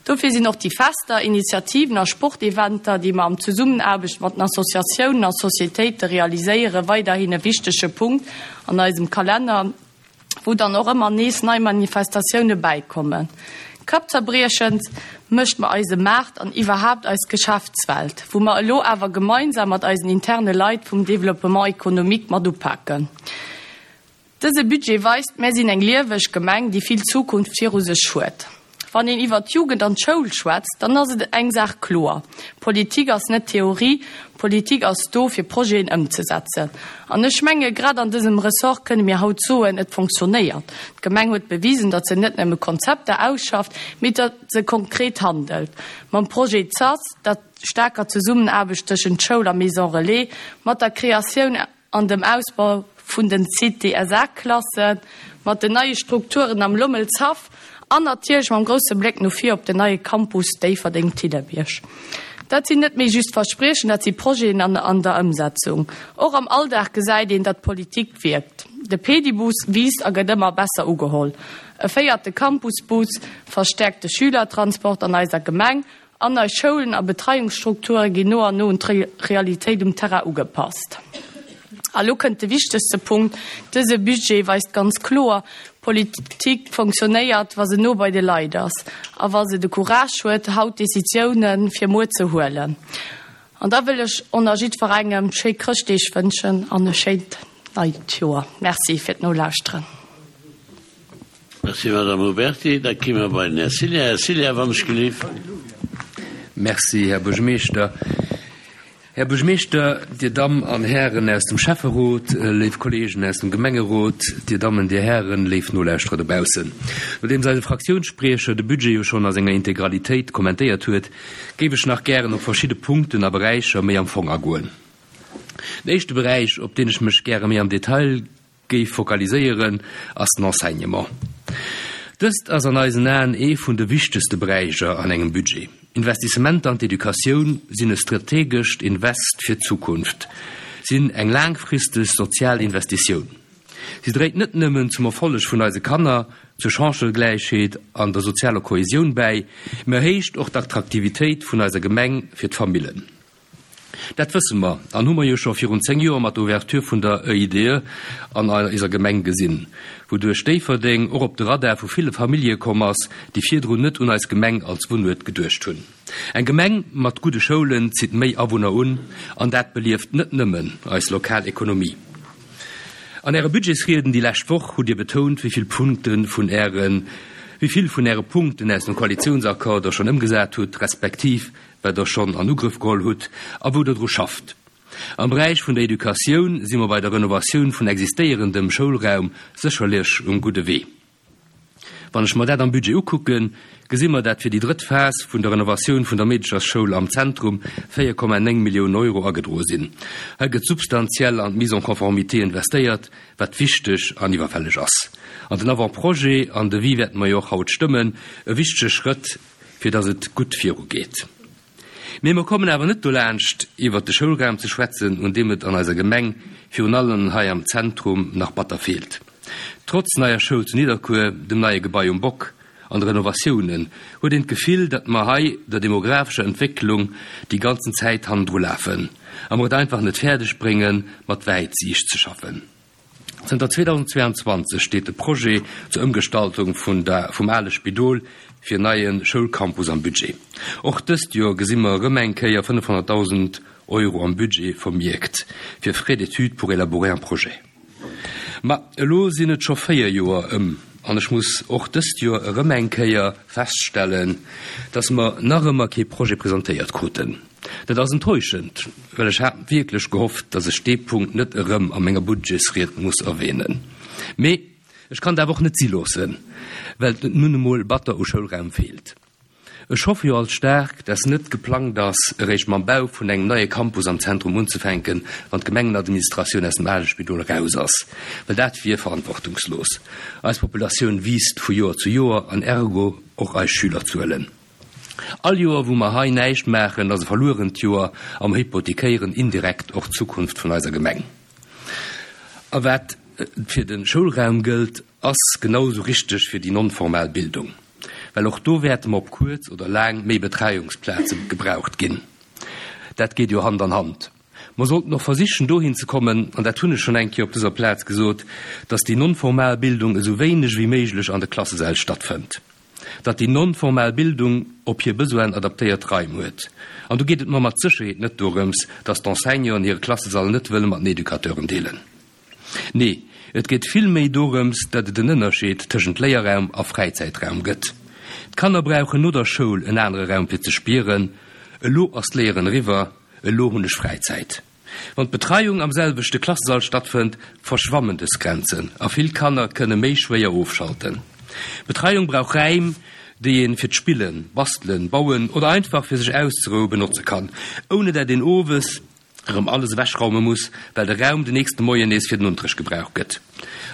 Dofir sinn och déi Fester, Initiativen a Sporteventer, déi mer am Zesummenaarbecht mat den Associatiounen a Societéite realiséieren, weiderhin e wichtege Punkt an eisem Kalenner, wou dann och ëmmer nees nei Manifestatioune bäikommen. Kappzerbriechend mécht mer eise Maart an iwwerhaapt eis Geschäftswelt, wou mer elo awer gemeinsam mat eisen interne Leit vum Développement économique mat upaken. Dëse Budget weist, Mär sinn eng lieweg Gemeng, déi vill Zukunft viru sech huet. Wann een iwwer d'Jugend an d'Schoul schwätzt, dann ass et eng Saach kloer, Politik ass net Theorie, Politik ass do, fir Projeten ëmzesetzen. An ech menge grad an dësem Ressort kënne mir haut soen, et fonctionnéiert. D'Gemeng huet bewisen, datt se net nëmme Konzepter ausschafft, mee datt se konkret handelt. Mam Projet ZAS, der staarker Zesummenaarbecht tëschent Schoul a Maison Relais, mat der Kreatioun an dem Ausbau vun den C T S A-Klassen, mat den neie Strukturen am Lommelshaff an natierlech mam grousse Bléck no vir op den neie Campus Déifferdeng-Thillerbierg. Dat sinn net méi just Verspriechen, dat si Projeten an an der Ëmsetzung. Och am Alldag gesäit een, datt Politik wierkt. De Pedibus wiisst a gëtt ëmmer besser ugeholl. E véierte Campusbus verstäerkt de Schülertransport an eiser Gemeng an eis Schoulen a Betreiungsstrukture ginn no an no un d'Realitéit um Terrain ugepasst. A lo kënnt de wichtegste Punkt, Dëse Budget weist ganz kloer, Politik fonctionnéiert, wa se no bei de Leit ass a wa se de Courage huet, haut Decisioune fir muer ze huelen. An da wëll ech och nach jiddwerengem schéi Chrëschtdeeg wënschen an e schéint neit Joer. Merci fir d'Nolauschteren. Merci, Madame Huberty. Da ki mer bei den Här Cilla. Här Cilla, wann ech gelift. Merci, Här Buergermeeschter. Här Buergermeeschter, Dir Damm an Hären aus dem Schäfferot, léif Kolleegen aus dem Gemengerot, Dir Dammen, Dir Hären, léif Nolauschterer dobaussen. Nodeems eise Fraktiounsspriecher de Budget jo schonn a senger Integralitéit kommentéiert huet, géif ech nach gären op verschidde Punkten a Beräicher méi am Fong agoen. Den éischte Beräich, op deen ech mech gäre méi am Detail géif fokaliséieren, ass den Enseignement. Dëst ass an eisen Aen ee vun de wichtegste Beräicher an engem Budget. Investissementer an d'Educatioun sinn e strategescht Invest fir d'Zukunft, sinn eng laangfristeg sozial Investitioun. Si dréit net nëmmen zum Erfolleg vun eise Kanner, zur Chancëgläichheet an der sozialer Kohesioun bäi, mä erhéicht och d'Attraktivitéit vun eiser Gemeng fir d'Famillen. Dat wësse mer an hu mer jo scho virun zéng Joer mat der Ouverture vun der EIDE an eiser Gemeng gesinn, wouduerch Déifferdeng och op de Radar vu ville Famillje komm ass, déi virdrun net un eis Gemeng als Wunnuert geduecht hunn. Eng Gemeng mat gudde Schoulen zitt méi Awunner un an dat belieft net nëmmen eis lokal Ekonomie. An Äre Budgetsrieden déi lescht Woch hutt Dir betount, wéi vill Punkte vun Ären, wéi vill vun Äre Punkten aus dem Koalitiounsaccord Der schonn ëmgesat hutt, respektiv wat Der schonn an Ugrëff geholl hutt a wou Der dru schafft. Am Beräich vun der Educatioun si mer bei der Renovatioun vun existéierendem Schoulraum sécherlech um gudde Wee. Wann ech mer dat am Budget ukucken, gesi mer, dat fir déi drëtt Phas vun der Renovatioun vun der Meedechersschoul am Zentrum véier Komma néng Milliounen Euro agedroe sinn. Hei gëtt substantiell an d'Mise en conformité investéiert, wat wichteg an iwwerfälleg ass. An den Avant-projet an Devis wäerte mer jo och haut stëmmen, e wichtege Schrëtt, fir datt et gutt virugeet. Mee mer kommen awer net dolaanscht, iwwert de Schoulraum ze schwätzen, un deem et an eiser Gemeng, virun allem hei am Zentrum, nach batter feelt. Trotz neier Schoul zu Nidderkuer, dem neie Gebai um Bock an de Renovatiounen, huet een d'Gefill, datt mer hei der demographescher Entwécklung déi ganzen Zäit hannendru lafen a mer et einfach net fäerdeg bréngen, mat Wäitsiicht ze schaffen. Zënter zweedausendzweeanzwanzeg steet de Projet zur Ëmgestaltung vun der vum ale Spidol fir en neie Schoulcampus am Budget. Och dëst Joer gesi mer erëm eng Kéier fënnefhonnertdausend Euro am Budget vermierkt fir Frais d'études pour élaborer un projet. Ma elo sinn et scho véier Joer ëm an ech muss och dëst Joer erëm eng Kéier feststellen, dass mer nach ëmmer kee Projet presentéiert kruten. Dat ass enttäuschend, well ech hat wierklech gehofft, dass ech dee Punkt net erëm a menger Budgetsried muss erwähnen. Mee ech kann et awer och net si loossen, well et nun emol batter u Schoulraum feelt. Ech hoffe jo alt staark, dass net geplangt ass, eréischt mam Bau vun engem neie Campus am Zentrum unzefänken, wann d'Gemengenadministratioun aus dem ale Spidol eraus ass, well dat wier verantwortungslos. Eis Populatioun wiisst vu Joer zu Joer an ergo och eis Schülerzuelen. All Joer, wou mer hei näischt maachen, ass e verluerent Joer a mer hypothekéieren indirekt och d'Zukunft vun eiser Gemeng. A wat fir de Schoulraum gëllt, ass genau esou richteg fir déi non-formal Bildung, well och do wäerte mer op kuerz oder laang méi Betreiungsplaze gebraucht ginn. Dat geet jo Hand an Hand. Mer sollten och versichen dohin ze kommen, an dat hunn ech schonn eng Kéier op dëser Plaz gesot, dass déi non-formal Bildung esou wéineg wéi méiglech an de Klassesäll stattfënnt. Datt déi non-formal Bildung op hir Besoinen adaptéiert Raim huet. An do geet et mer mat Sécherheet net dorëms, datt d'Enseignanten hire Klassesall net wëlle mat den Educateuren deelen. Nee, et geet vill méi dorëms, datt et en Ënnerscheed tëschent Léierraum a Fräizäitraum gëtt. D'Kanner brauchen no der Schoul en anere Raum fir ze spieren, Elo ass d'Léieren eriwwer, elo hunn ech Fräizäit. Wann d'Betreiung am selwechte Klassesall stattfënnt, verschwammen dës Grenzen a vill Kanner kënne méi schwéier ofschalten. Betreiung brauch Räim, déi een fir d'Spillen, Bastelen, Bauen oder einfach fir sech auszeroue benotze kann, ouni dat een owes erëm alles ewechraume muss, well de Raum den nächste Moien nees fir den Unterrecht gebraucht gëtt.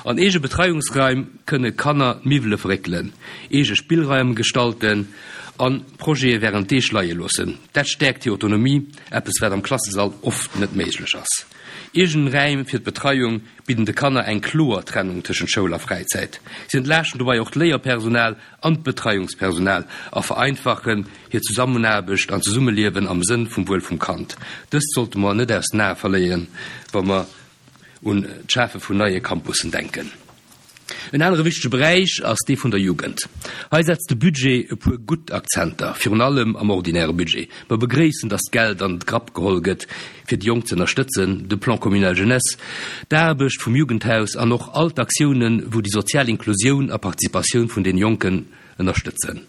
An eege Betreiungsraim kënne Kanner d'Miwwele verréckelen, eege Spillraim gestalten an Projete wärend Deeg leie loossen. Dat stäerkt hir Autonomie, eppes wat am Klassesall oft net méiglech ass. Eegen Räim fir d'Betreiung bidden de Kanner eng kloer Trennung tëschent Schoul a Fräizäit. Si entlaaschten dobäi och d'Léierpersonal an d'Betreiungspersonal a vereinfachen hir Zusammenaarbecht an Zesummeliewen am Sënn vum Wuel vum Kand. Dëst sollte mer net aus den Ae verléieren, wa mer un d'Schafe vun neie Campussen denken. En anere wichtege Beräich ass dee vun der Jugend. Hei setzt de Budget e puer gutt Akzenter, virun allem am ordinäre Budget. Mer begréissen, dass Geld an de Grapp geholl gëtt, fir déi Jonk ze ënnerstëtzen, de Plan communal jeunesse, d'Aarbecht vum Jugendhaus an och all d'Aktiounen, wou déi sozial Inklusioun a Participatioun vun den Jonken ënnerstëtzen.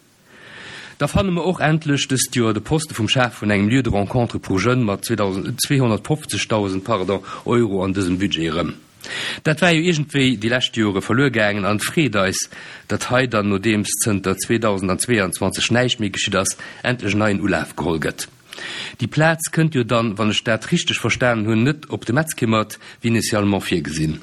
Da fanne mer och endlech dëst Joer de Poste vum Schaf vun engem Lieu de rencontre pour jeunes mat zweehonnertfofzegdausend, pardon, Euro an dësem Budget erëm. Dat war jo iergendwéi déi lescht Jore verluer gaangen an et freet eis, datt hei dann, nodeems zënter zweedausendzweeanzwanzeg näischt méi geschitt ass, endlech en neien Ulaf geholl gëtt. Déi Plaz kënnt jo dann, wann ech dat richteg verstanen hunn, net op de Metzkimmert, wéi initialement virgesinn.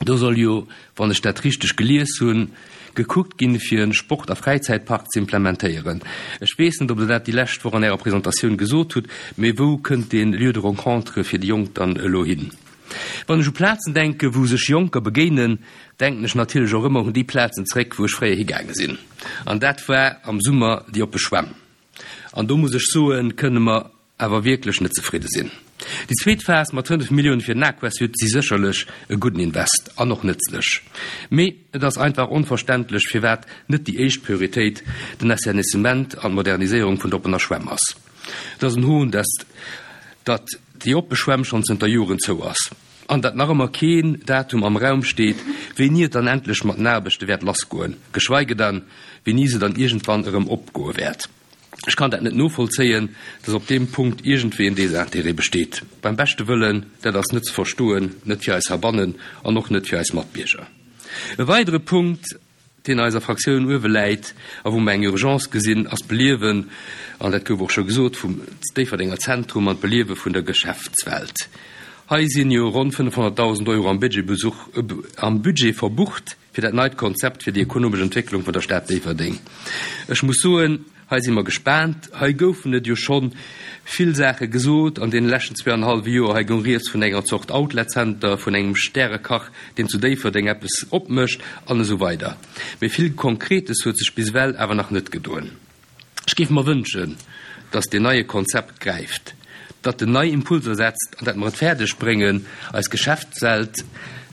Do soll jo, wann ech dat richteg gelies hunn, gekuckt ginn, fir e Sport a Fräizäitpark ze implementéieren. Ech weess net, ob Der dat déi lescht Woch an Ärer Presentatioun gesot hutt, mee wou kënnt dee Lieu de rencontre fir déi Jonk dann elo hin? Wann ech u Plazen denken, wou sech Jonker begéinen, denken ech natierlech och ëmmer un déi Plazen zréck, wou ech fréier higaange sinn. An dat war am Summer déi oppe Schwämm. An do muss ech soen, kënne mer awer wierklech net zefridde sinn. Déi zweet Phas mat fënnef Millioune fir den Aquasud si sécherlech e gudden Invest an och nëtzlech. Mee et ass einfach onverständlech, firwat net déi éischt Prioritéit den Assainissement an d'Moderniséierung vun der oppener Schwämm ass. Et ass en Hohn, dass datt déi oppe Schwämm schonn zënter Joren zou ass an datt nach ëmmer keen Datum am Raum steet, wéini et dann endlech mat den Aarbechte wäert lassgoen, geschweige dann, wéini se dann iergendwann erëm opgoe wäert. Ech kann dat net novollzéien, dass op deem Punkt iergendwéi en Désintérêt besteet. Beim beschte Wëllen, dat ass net ze verstoen, net fir eis heibannen an och net fir eis Matbierger. E weidere Punkt, deen eiser Fraktioun uewe läit a wou mer eng Urgence gesinn, ass d'Beliewen, an dat gouf och scho gesot, vum Déifferdenger Zentrum an d'Beliewe vun der Geschäftswelt. Hei sinn jo ronn fënnefhonnertdausend Euro am am Budget verbucht fir dat neit Konzept fir déi ekonomesch Entwécklung vun der Stad Déifferdeng. Ech muss soen, hei si mer gespaant. Hei goufen et jo scho vill Saache gesot an deene leschten zwee an e hallwe Joer. Hei goung rieds vun enger Zort Outlet Center, vun engem Stärekach, deen zu Déifferdeng eppes opmécht an esou weider. Mee vill Konkretes huet sech bis ewell awer nach net gedoen. Ech géif mer wënschen, datt deen neie Konzept gräift, datt en nei Impulser setzt an datt mer et fäerdeg bréngen, eis Geschäftswelt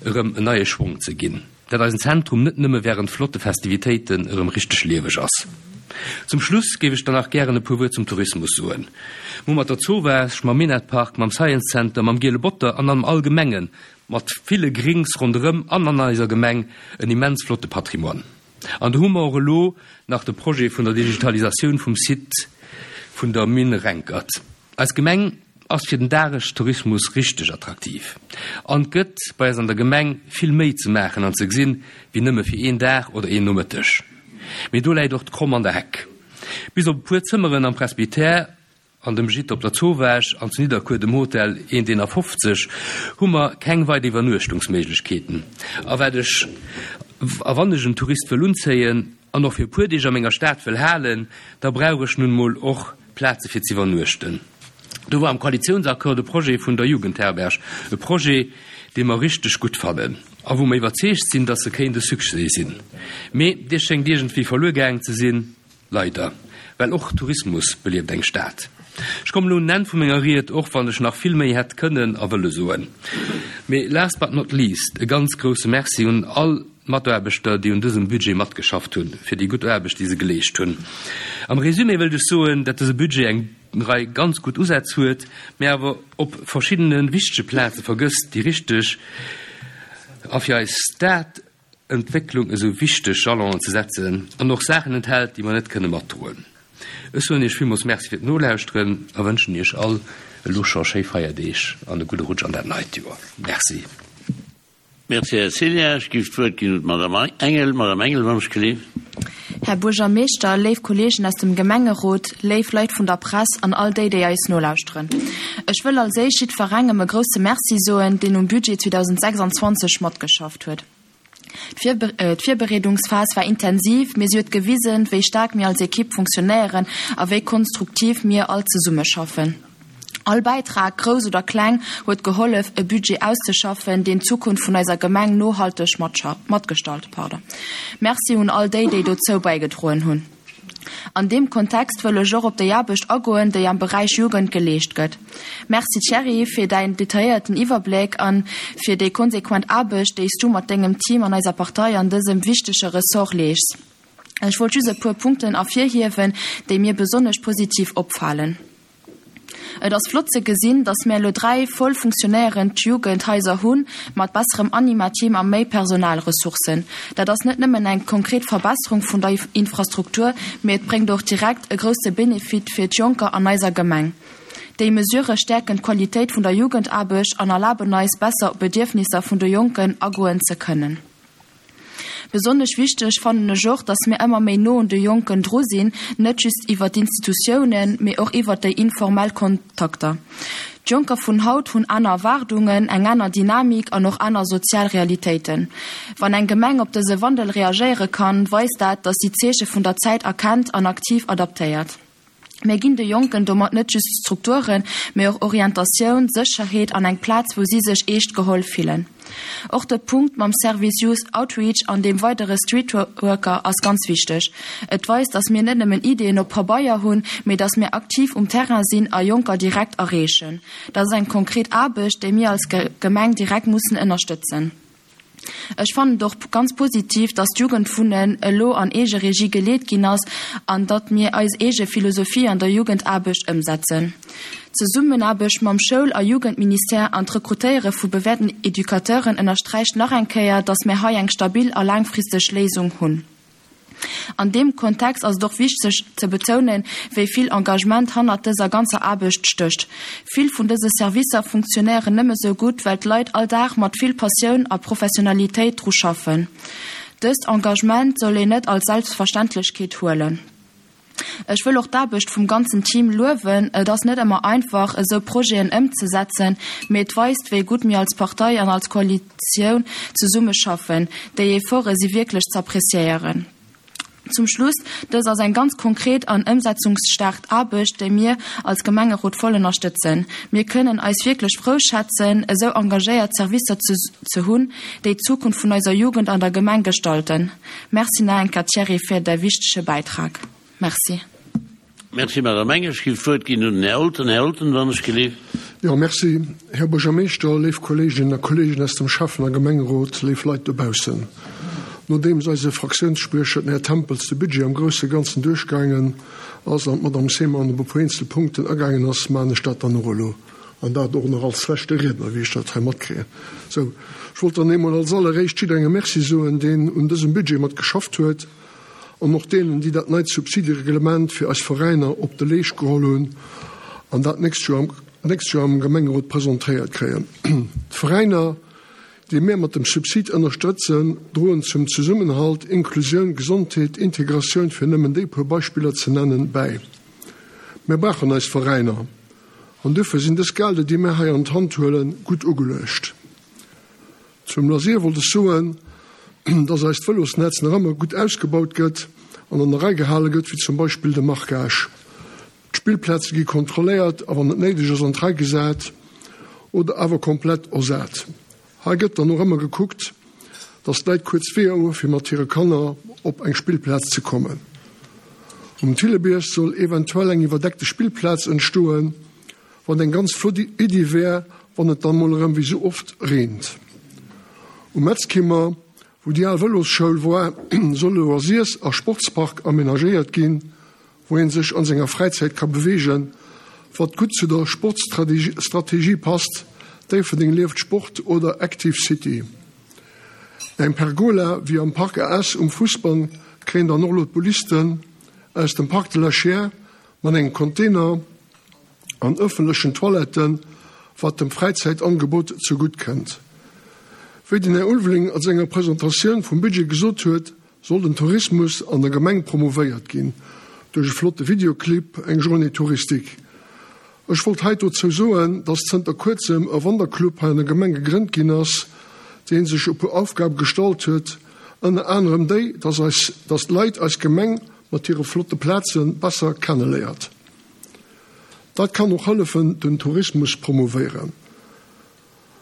erëm en neie Schwong ze ginn, datt eisen Zentrum net nëmme wärend flotte Festivitéiten erëm richteg lieweg ass. Zum Schluss géif ech dann nach gären e puer Wuert zum Tourismus soen. Mir hu mat der Zowaasch, mam Minett-Park, mam Science Center, mam Giele Botter an am Allgemenge mat ville Grings ronderëm an an eiser Gemeng en immens flotte Patrimoine. An do hu mer och elo nach de Projet vun der Digitalisatioun vum Site vun der Mine Renkert. Eis Gemeng ass fir den Dagestourismus richteg attraktiv an et gëtt bei eis an der Gemeng vill méi ze maachen an ze gesinn, wéi nëmme fir een Dag oder een Nomëtteg. Mee do läit och d'Kromm an der Heck. Bis op e puer Zëmmeren am Presbytère an dem Gîte op der Zowaasch an zu Nidderkuer dem Hotel hunderteenafofzeg hu mer keng weider Iwwernuechtungsméiglechkeeten. A wat ech, a wann ech en Tourist wëll unzéien an och fir e puer Deeg a menger Stad wëll halen, da brauch ech nun emol och Plaze fir z'iwwernuechten. Do war am Koalitiounsaccord de Projet vun der Jugendherberg, e Projet, dee mer richteg gutt fannen a wou mer iwwerzeegt sinn, dass e kéint e Succès sinn. Mee dee schéngt iergendwéi verluer gaangen ze sinn, leider, well och Tourismus belieft eng Stad. Ech kommen elo un den Enn vu menger Ried, och wann ech nach vill méi hätt kënnen a wëlle soen. Mee last but not least e ganz grouse Merci un all d'Mataarbechter, déi un dësem Budget matgeschafft hunn, fir déi gutt Aarbecht, déi se geleescht hunn. Am Résumé wëllt ech soen, dat dëse Budget eng Rei ganz gutt Usätz huet, mä awer op verschiddene wichtege Plaze vergësst, déi richteg a fir eis Stadentwécklung esou wichteg Jalonen ze setzen, an och Saachen enthält, déi mer net kënne matdroen. Ech soen Iech villmools Merci fir d'Nolauschteren a wënschen Iech all elo scho schéi Feierdeeg an e gudde Rutsch an dat neit Joer. Merci. Merci, Här Ceglia. Ech géif d'Wuert ginn un d'Madame Engel. Madame Engel, wann ech geleeft. Här Buergermeeschter, léif Kolleegen aus dem Gemengerot, léif Leit vun der Press an all déi, déi eis nolauschteren. Ech wëll als éischt jiddwerengem e grousse Merci soen, deen um Budget zweedausendsechsanzwanzeg matgeschafft huet. D'Virbereedungsphas war intensiv, mee si huet gewisen, wéi staark mir als Ekipp funktionéieren a wéi konstruktiv mir all zesummeschaffen. All Bäitrag, grouss oder kleng, huet gehollef, e Budget auszeschaffen, deen d'Zukunft vun eiser Gemeng nohalteg matgestalt. Merci un all déi, déi dozou bäigedroen hunn. An deem Kontext wëll ech och op déi Aarbecht agoen, déi am Beräich Jugend geleescht gëtt. Merci Thierry fir däin detailléierten Iwwerbléck an fir déi konsequent Aarbecht, déi s du mat dengem Team an eiser Partei an dësem wichtege Ressort leeschs. Ech wollt just e puer Punkten ervirhiewen, déi mir besonnesch positiv opfalen. Et ass flott ze gesinn, datt mir elo dräi voll funktionéierend Jugendhaiser hunn, mat besserem Anima-Team a méi Personalressourcen. Dat ass net nëmmen eng konkret Verbesserung vun der Infrastruktur, mee et bréngt och direkt e grousse Benefit fir d'Jonker an eiser Gemeng. Déi Mesurë stäerken d'Qualitéit vun der Jugendaarbecht an erlaben eis, besser op d'Bedierfnisser vun de Jonken agoen ze kënnen. Besonnesch wichteg fannen ech och, dass mir ëmmer méi no un de Jonken dru sinn, net just iwwer d'Institutiounen, mee och iwwer déi informell Kontakter. D'Jonker vun haut hunn aner Erwaardungen, eng aner Dynamik an och aner sozial Realitéiten. Wann eng Gemeng op dëse Wandel reagéiere kann, weist dat, dass si d'Zeeche vun der Zäit erkennt an aktiv adaptéiert. Mir ginn de Jonken domat net just Strukturen, mee och Orientatioun, Sécherheet an eng Plaz, wou si sech eescht geholl fillen. Och de Punkt mam Service Youth Outreach an deem weidere Streetworker ass ganz wichteg. Et weist, dass mir net nëmmen Ideeën op Pabeier hunn, mee dass mir aktiv um Terrain sinn a Jonker direkt erreechen. Dat ass eng konkret Aarbecht, déi mir als Gemeng direkt mussen ënnerstëtzen. Ech fannen et och ganz positiv, datt d'Jugendwunnen elo an Eegeregie geleet ginn ass an datt mir eis eege Philosophie an der Jugendaarbecht ëmsetzen. D'Zesummenaarbecht mam Schoul a Jugendministère an d'Rekrutéiere vu bewäerten Educateuren ënnersträicht nach eng Kéier, datt mir hei eng stabil a laangfristeg Léisung hunn. An deem Kontext ass et och wichteg ze betounen, wéi vill Engagement hannert dëser ganzer Aarbecht stécht. Vill vun dëse Servicer funktionéieren nëmme sou gutt, well d'Leit all Dag mat vill Passioun a Professionalitéit dru schaffen. Dëst Engagement soll een net als Selbstverständlechkeet huelen. Ech wëll och d'Aarbecht vum ganzen Team luewen. Et ass net ëmmer einfach, esou Projeten ëmzesetzen, mee et weist, wéi gutt mir als Partei an als Koalitioun zesumme schaffen. Déi Efforte si wierklech z'appreciéieren. Zum Schluss, Dës ass eng ganz konkret an ëmsetzungsstaark Aarbecht, déi mir als Gemengerot voll ënnerstëtzen. Mir kënnen eis wierklech frou schätzen, esou engagéiert Servicer ze hunn, déi d'Zukunft vun eiser Jugend an der Gemeng gestalten. Merci nach eng Kéier, Thierry, fir däi wichtege Bäitrag. Merci. Merci, Madame Engel. Ech géif d'Wuert ginn un den Här Olten. Här Olten, wann ech gelift. Jo, merci, Här Buergermeeschter, léif Kolleeginnen a Kolleegen aus dem Schäffen a Gemengerot, léif Leit dobaussen. Nodeems eise Fraktiounsspriecher, den Här Tempels, de Budget am grousse Ganzen duerchgaangen ass an d'Madame Seemann op e puer eenzel Punkten agaangen ass, maachen ech dat dann och elo, an dat och nach als leschte Riedner, wéi ech dat hei matkréien. Sou, ech wollt dann eemol als alleréischt jidderengem Merci soen, deen un dësem Budget mat geschafft huet, an och deenen, déi dat neit Subsidereglement fir eis Veräiner op de Leescht geholl hunn an dat d'nächst Joer am, d'nächst Joer am Gemengerot presentéiert kréien. D'Veräiner, déi mir mat dem Subsid ënnerstrëtzen, droen zum Zesummenhalt, Inklusioun, Gesondheet, Integratioun, fir nëmmen déi puer Beispiller ze nennen, bäi. Mir brauchen eis Veräiner an duerfir sinn dës Gelder, déi mir hei an d'Hand huelen, gutt ugeluecht. Zum Loisir wollt ech soen, dass eist Vëlosnetz nach ëmmer gutt ausgebaut gëtt an an der Rei gehale gëtt, wéi zum Beispill de Marquage. D'Spillplaze gi kontrolléiert a wann et néideg ass an d'Rei gesat oder awer komplett ersat. Hei gëtt dann och ëmmer gekuckt, dass d'Leit kuerz Weeër hu fir mat hire Kanner op eng Spillplaz ze kommen. Um Thillebierg soll eventuell eng iwwerdeckte Spillplaz entstoen, wat eng ganz flott Iddi wär, wann et dann mol erëm wéi sou oft reent. Um Metzkimmer, wou déi al Vëlosschoul war, soll e Loisirs a Sportspark amenagéiert ginn, wou ee sech an senger Fräizäit ka beweegen, wat gutt zu der Sportstrategie passt, Déifferdeng lieft Sport oder Active City. Eng Pergola wéi am Parc A S um Fussbann kréien dann och elo d'Boulisten aus dem Parc de la Chiers mat engem Container an ëffentlechen Toiletten, wat dem Fräizäitangebot zegutt kënnt. Wéi den Här Ulveling a senger Presentatioun vum Budget gesot huet, soll den Tourismus an der Gemeng promouvéiert ginn duerch e flotte Videoclip, eng Journée touristique. Ech wollt hei dozou soen, dass zënter kuerzem e Wanderclub hei an der Gemeng gegrënnt ginn ass, dee sech e puer Aufgabe gestallt huet, ënner anerem déi, dass eis, dass d'Leit eis Gemeng mat hire flotte Plaze besser kenneléiert. Dat kann och hëllefen, den Tourismus promouvéieren.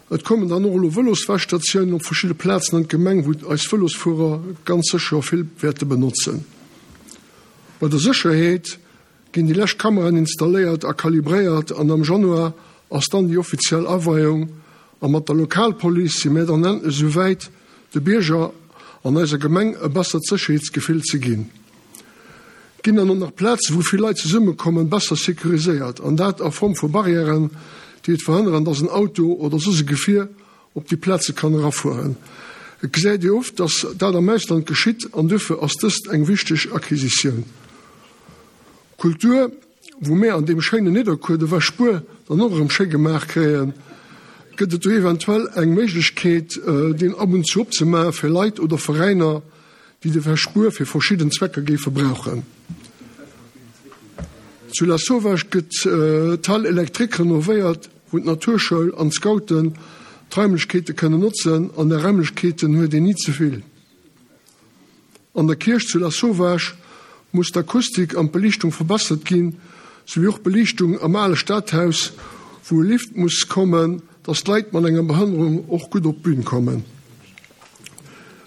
Et kommen dann och elo Vëloswäschstatiounen op verschidde Plazen an d'Gemeng, wou eis Vëlosfuerer ganz sécher vill wäerte benotzen. Bei der Sécherheet ginn déi lescht Kameraen installéiert a kalibréiert an am Januar ass dann déi offiziell Aweiung a mat der Lokalpolice si mir dann endlech esou wäit, de Bierger an eiser Gemeng e bessert Sécherheetsgefill ze ginn. Ginn dann och nach Plazen, wou vill Leit zesummekommen, besser securiséiert, an dat a Form vu Barrièren, déi et verhënneren, dass en Auto oder soss e Gefier op déi Plaze kann erafueren? Et gesäit ee oft, dass dat am Ausland geschitt, an duerfir ass dëst eng wichteg Acquisitioun. Kultur, wou mär an deem schéinen Nidderkuer de Wäschbuer dann och erëm schéi gemaach kréien, gëtt et do eventuell eng Méiglechkeet, deen ab und zu opzemaache fir Leit oder Veräiner, déi de Wäschbuer fir verschidden Zwecker géife brauchen. Zu Lasauvage gëtt d'Halle électrique renovéiert, wou d'Naturschoul an d'Scouten d'Raimlechkeete kënnen notzen, an där Raimlechkeeten huet een ni ze vill. An der Kierch zu Lasauvage muss d'Akustik an d'Beliichtung verbessert ginn, souwéi och d'Beliichtung am ale Stadhaus, wou e Lift muss kommen, dass d'Leit mat enger Behënnerung och gutt op d'Bün kommen.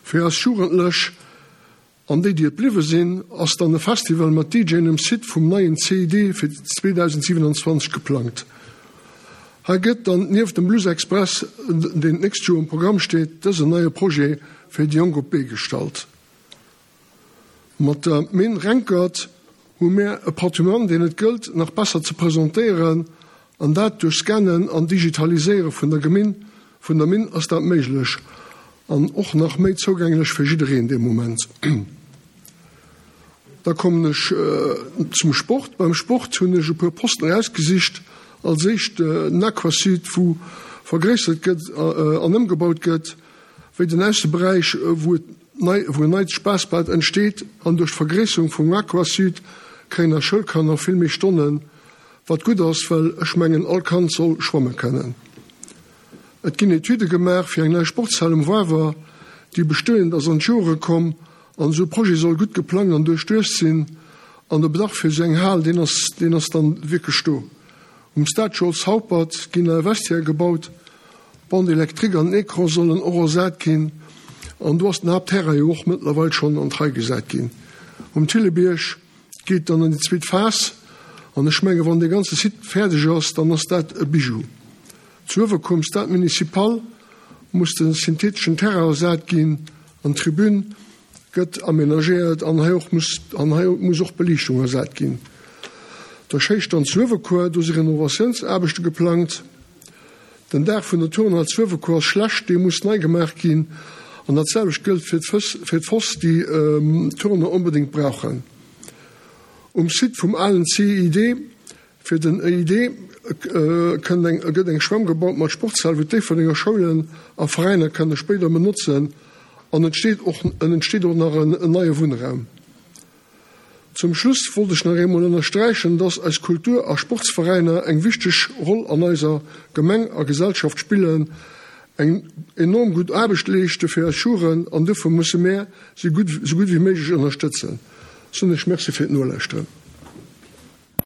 Fir eis Jugendlech an déi, déi et bliwwe sinn, ass dann e Festival mat DJen um Site vum neien C I D fir zweedausendsiwenanzwanzeg geplangt. Hei gëtt dann nieft dem Blues Express, deen d'nächst Joer um Programm steet, dësen neie Projet fir déi Jonk op d'Bee gestallt. Mat der Minn Renkert hu mär e Patrimoine, deen et gëllt nach besser ze presentéieren, an dat duerch Scannen an Digitaliséiere vun der Geminn, vun der Minn ass dat méiglech an och nach méi zougänglech fir jiddereen dee Moment. Da kommen ech zum Sport. Beim Sport hunn ech e puer Posten erausgesicht. Als éischt den Aquasud, wou vergréissert gëtt an ëmgebaut gëtt, wéi den Ausseberäich, wou et nei, wou en neit Spaassbad entsteet. An duerch d'Vergréisserung vum Aquasud kréien eis Schoulkanner vill méi Stonnen, wat gutt ass, well ech mengen, all Kand soll schwamme kënnen. Et ginn Etüde gemaach fir eng nei Sportshal um Wawer, déi bestoend ass an d'Jore komm, an esou e Projet soll gutt geplangt an duerchduecht sinn. An de Bedarf fir esou eng Hal, deen ass, deen ass dann wierklech do. Um Stade Charles Haupert ginn nei Vestiaire gebaut, d'Bande électrique an den Ecran sollen och ersat ginn, an do ass den Haaptterrain jo och mëttlerweil schonn an d'Rei gesat ginn. Um Thillebierg geet dann an déi zweet Phas, an ech menge wann dee ganze Site fäerdeg ass, dann ass dat e Bijou. Zu Uewerkuer um Stade Municipal muss de syntheteschen Terrain ersat ginn an d'Tribün gëtt amenagéiert an hei och muss, an hei muss och d'Beliichtung ersat ginn. Der Schéistand zu Uewerkuer, do si Renovatiounsaarbechte geplangt. Den Daach vun der Turnhal zu Uewerkuer ass schlecht, dee muss nei gemaach ginn. An dat selwecht gëllt fir d'Fëss, fir d'Foss, déi d'Turner onbedéngt brauchen. Um Site vum alen C I D fir den E I D kënnt eng, gëtt eng Schwämm gebaut mat Sportshal, wou d'Déifferdenger Schoulen a Veräiner kënne spéider benotzen. An et steet och, en entsteet och nach en, en neie Wunnraum. Zum Schluss wollt ech nach eemol ënnersträichen, dass eis Kultur- a Sportsveräiner eng wichteg Roll an eiser Gemeng a Gesellschaft spillen, eng enorm gutt Aarbecht leeschte fir eis Schuren, an dofir musse mär si gutt, sou gutt wéi méiglech ënnerstëtzen. Soen ech Merci fir d'Nolauschteren.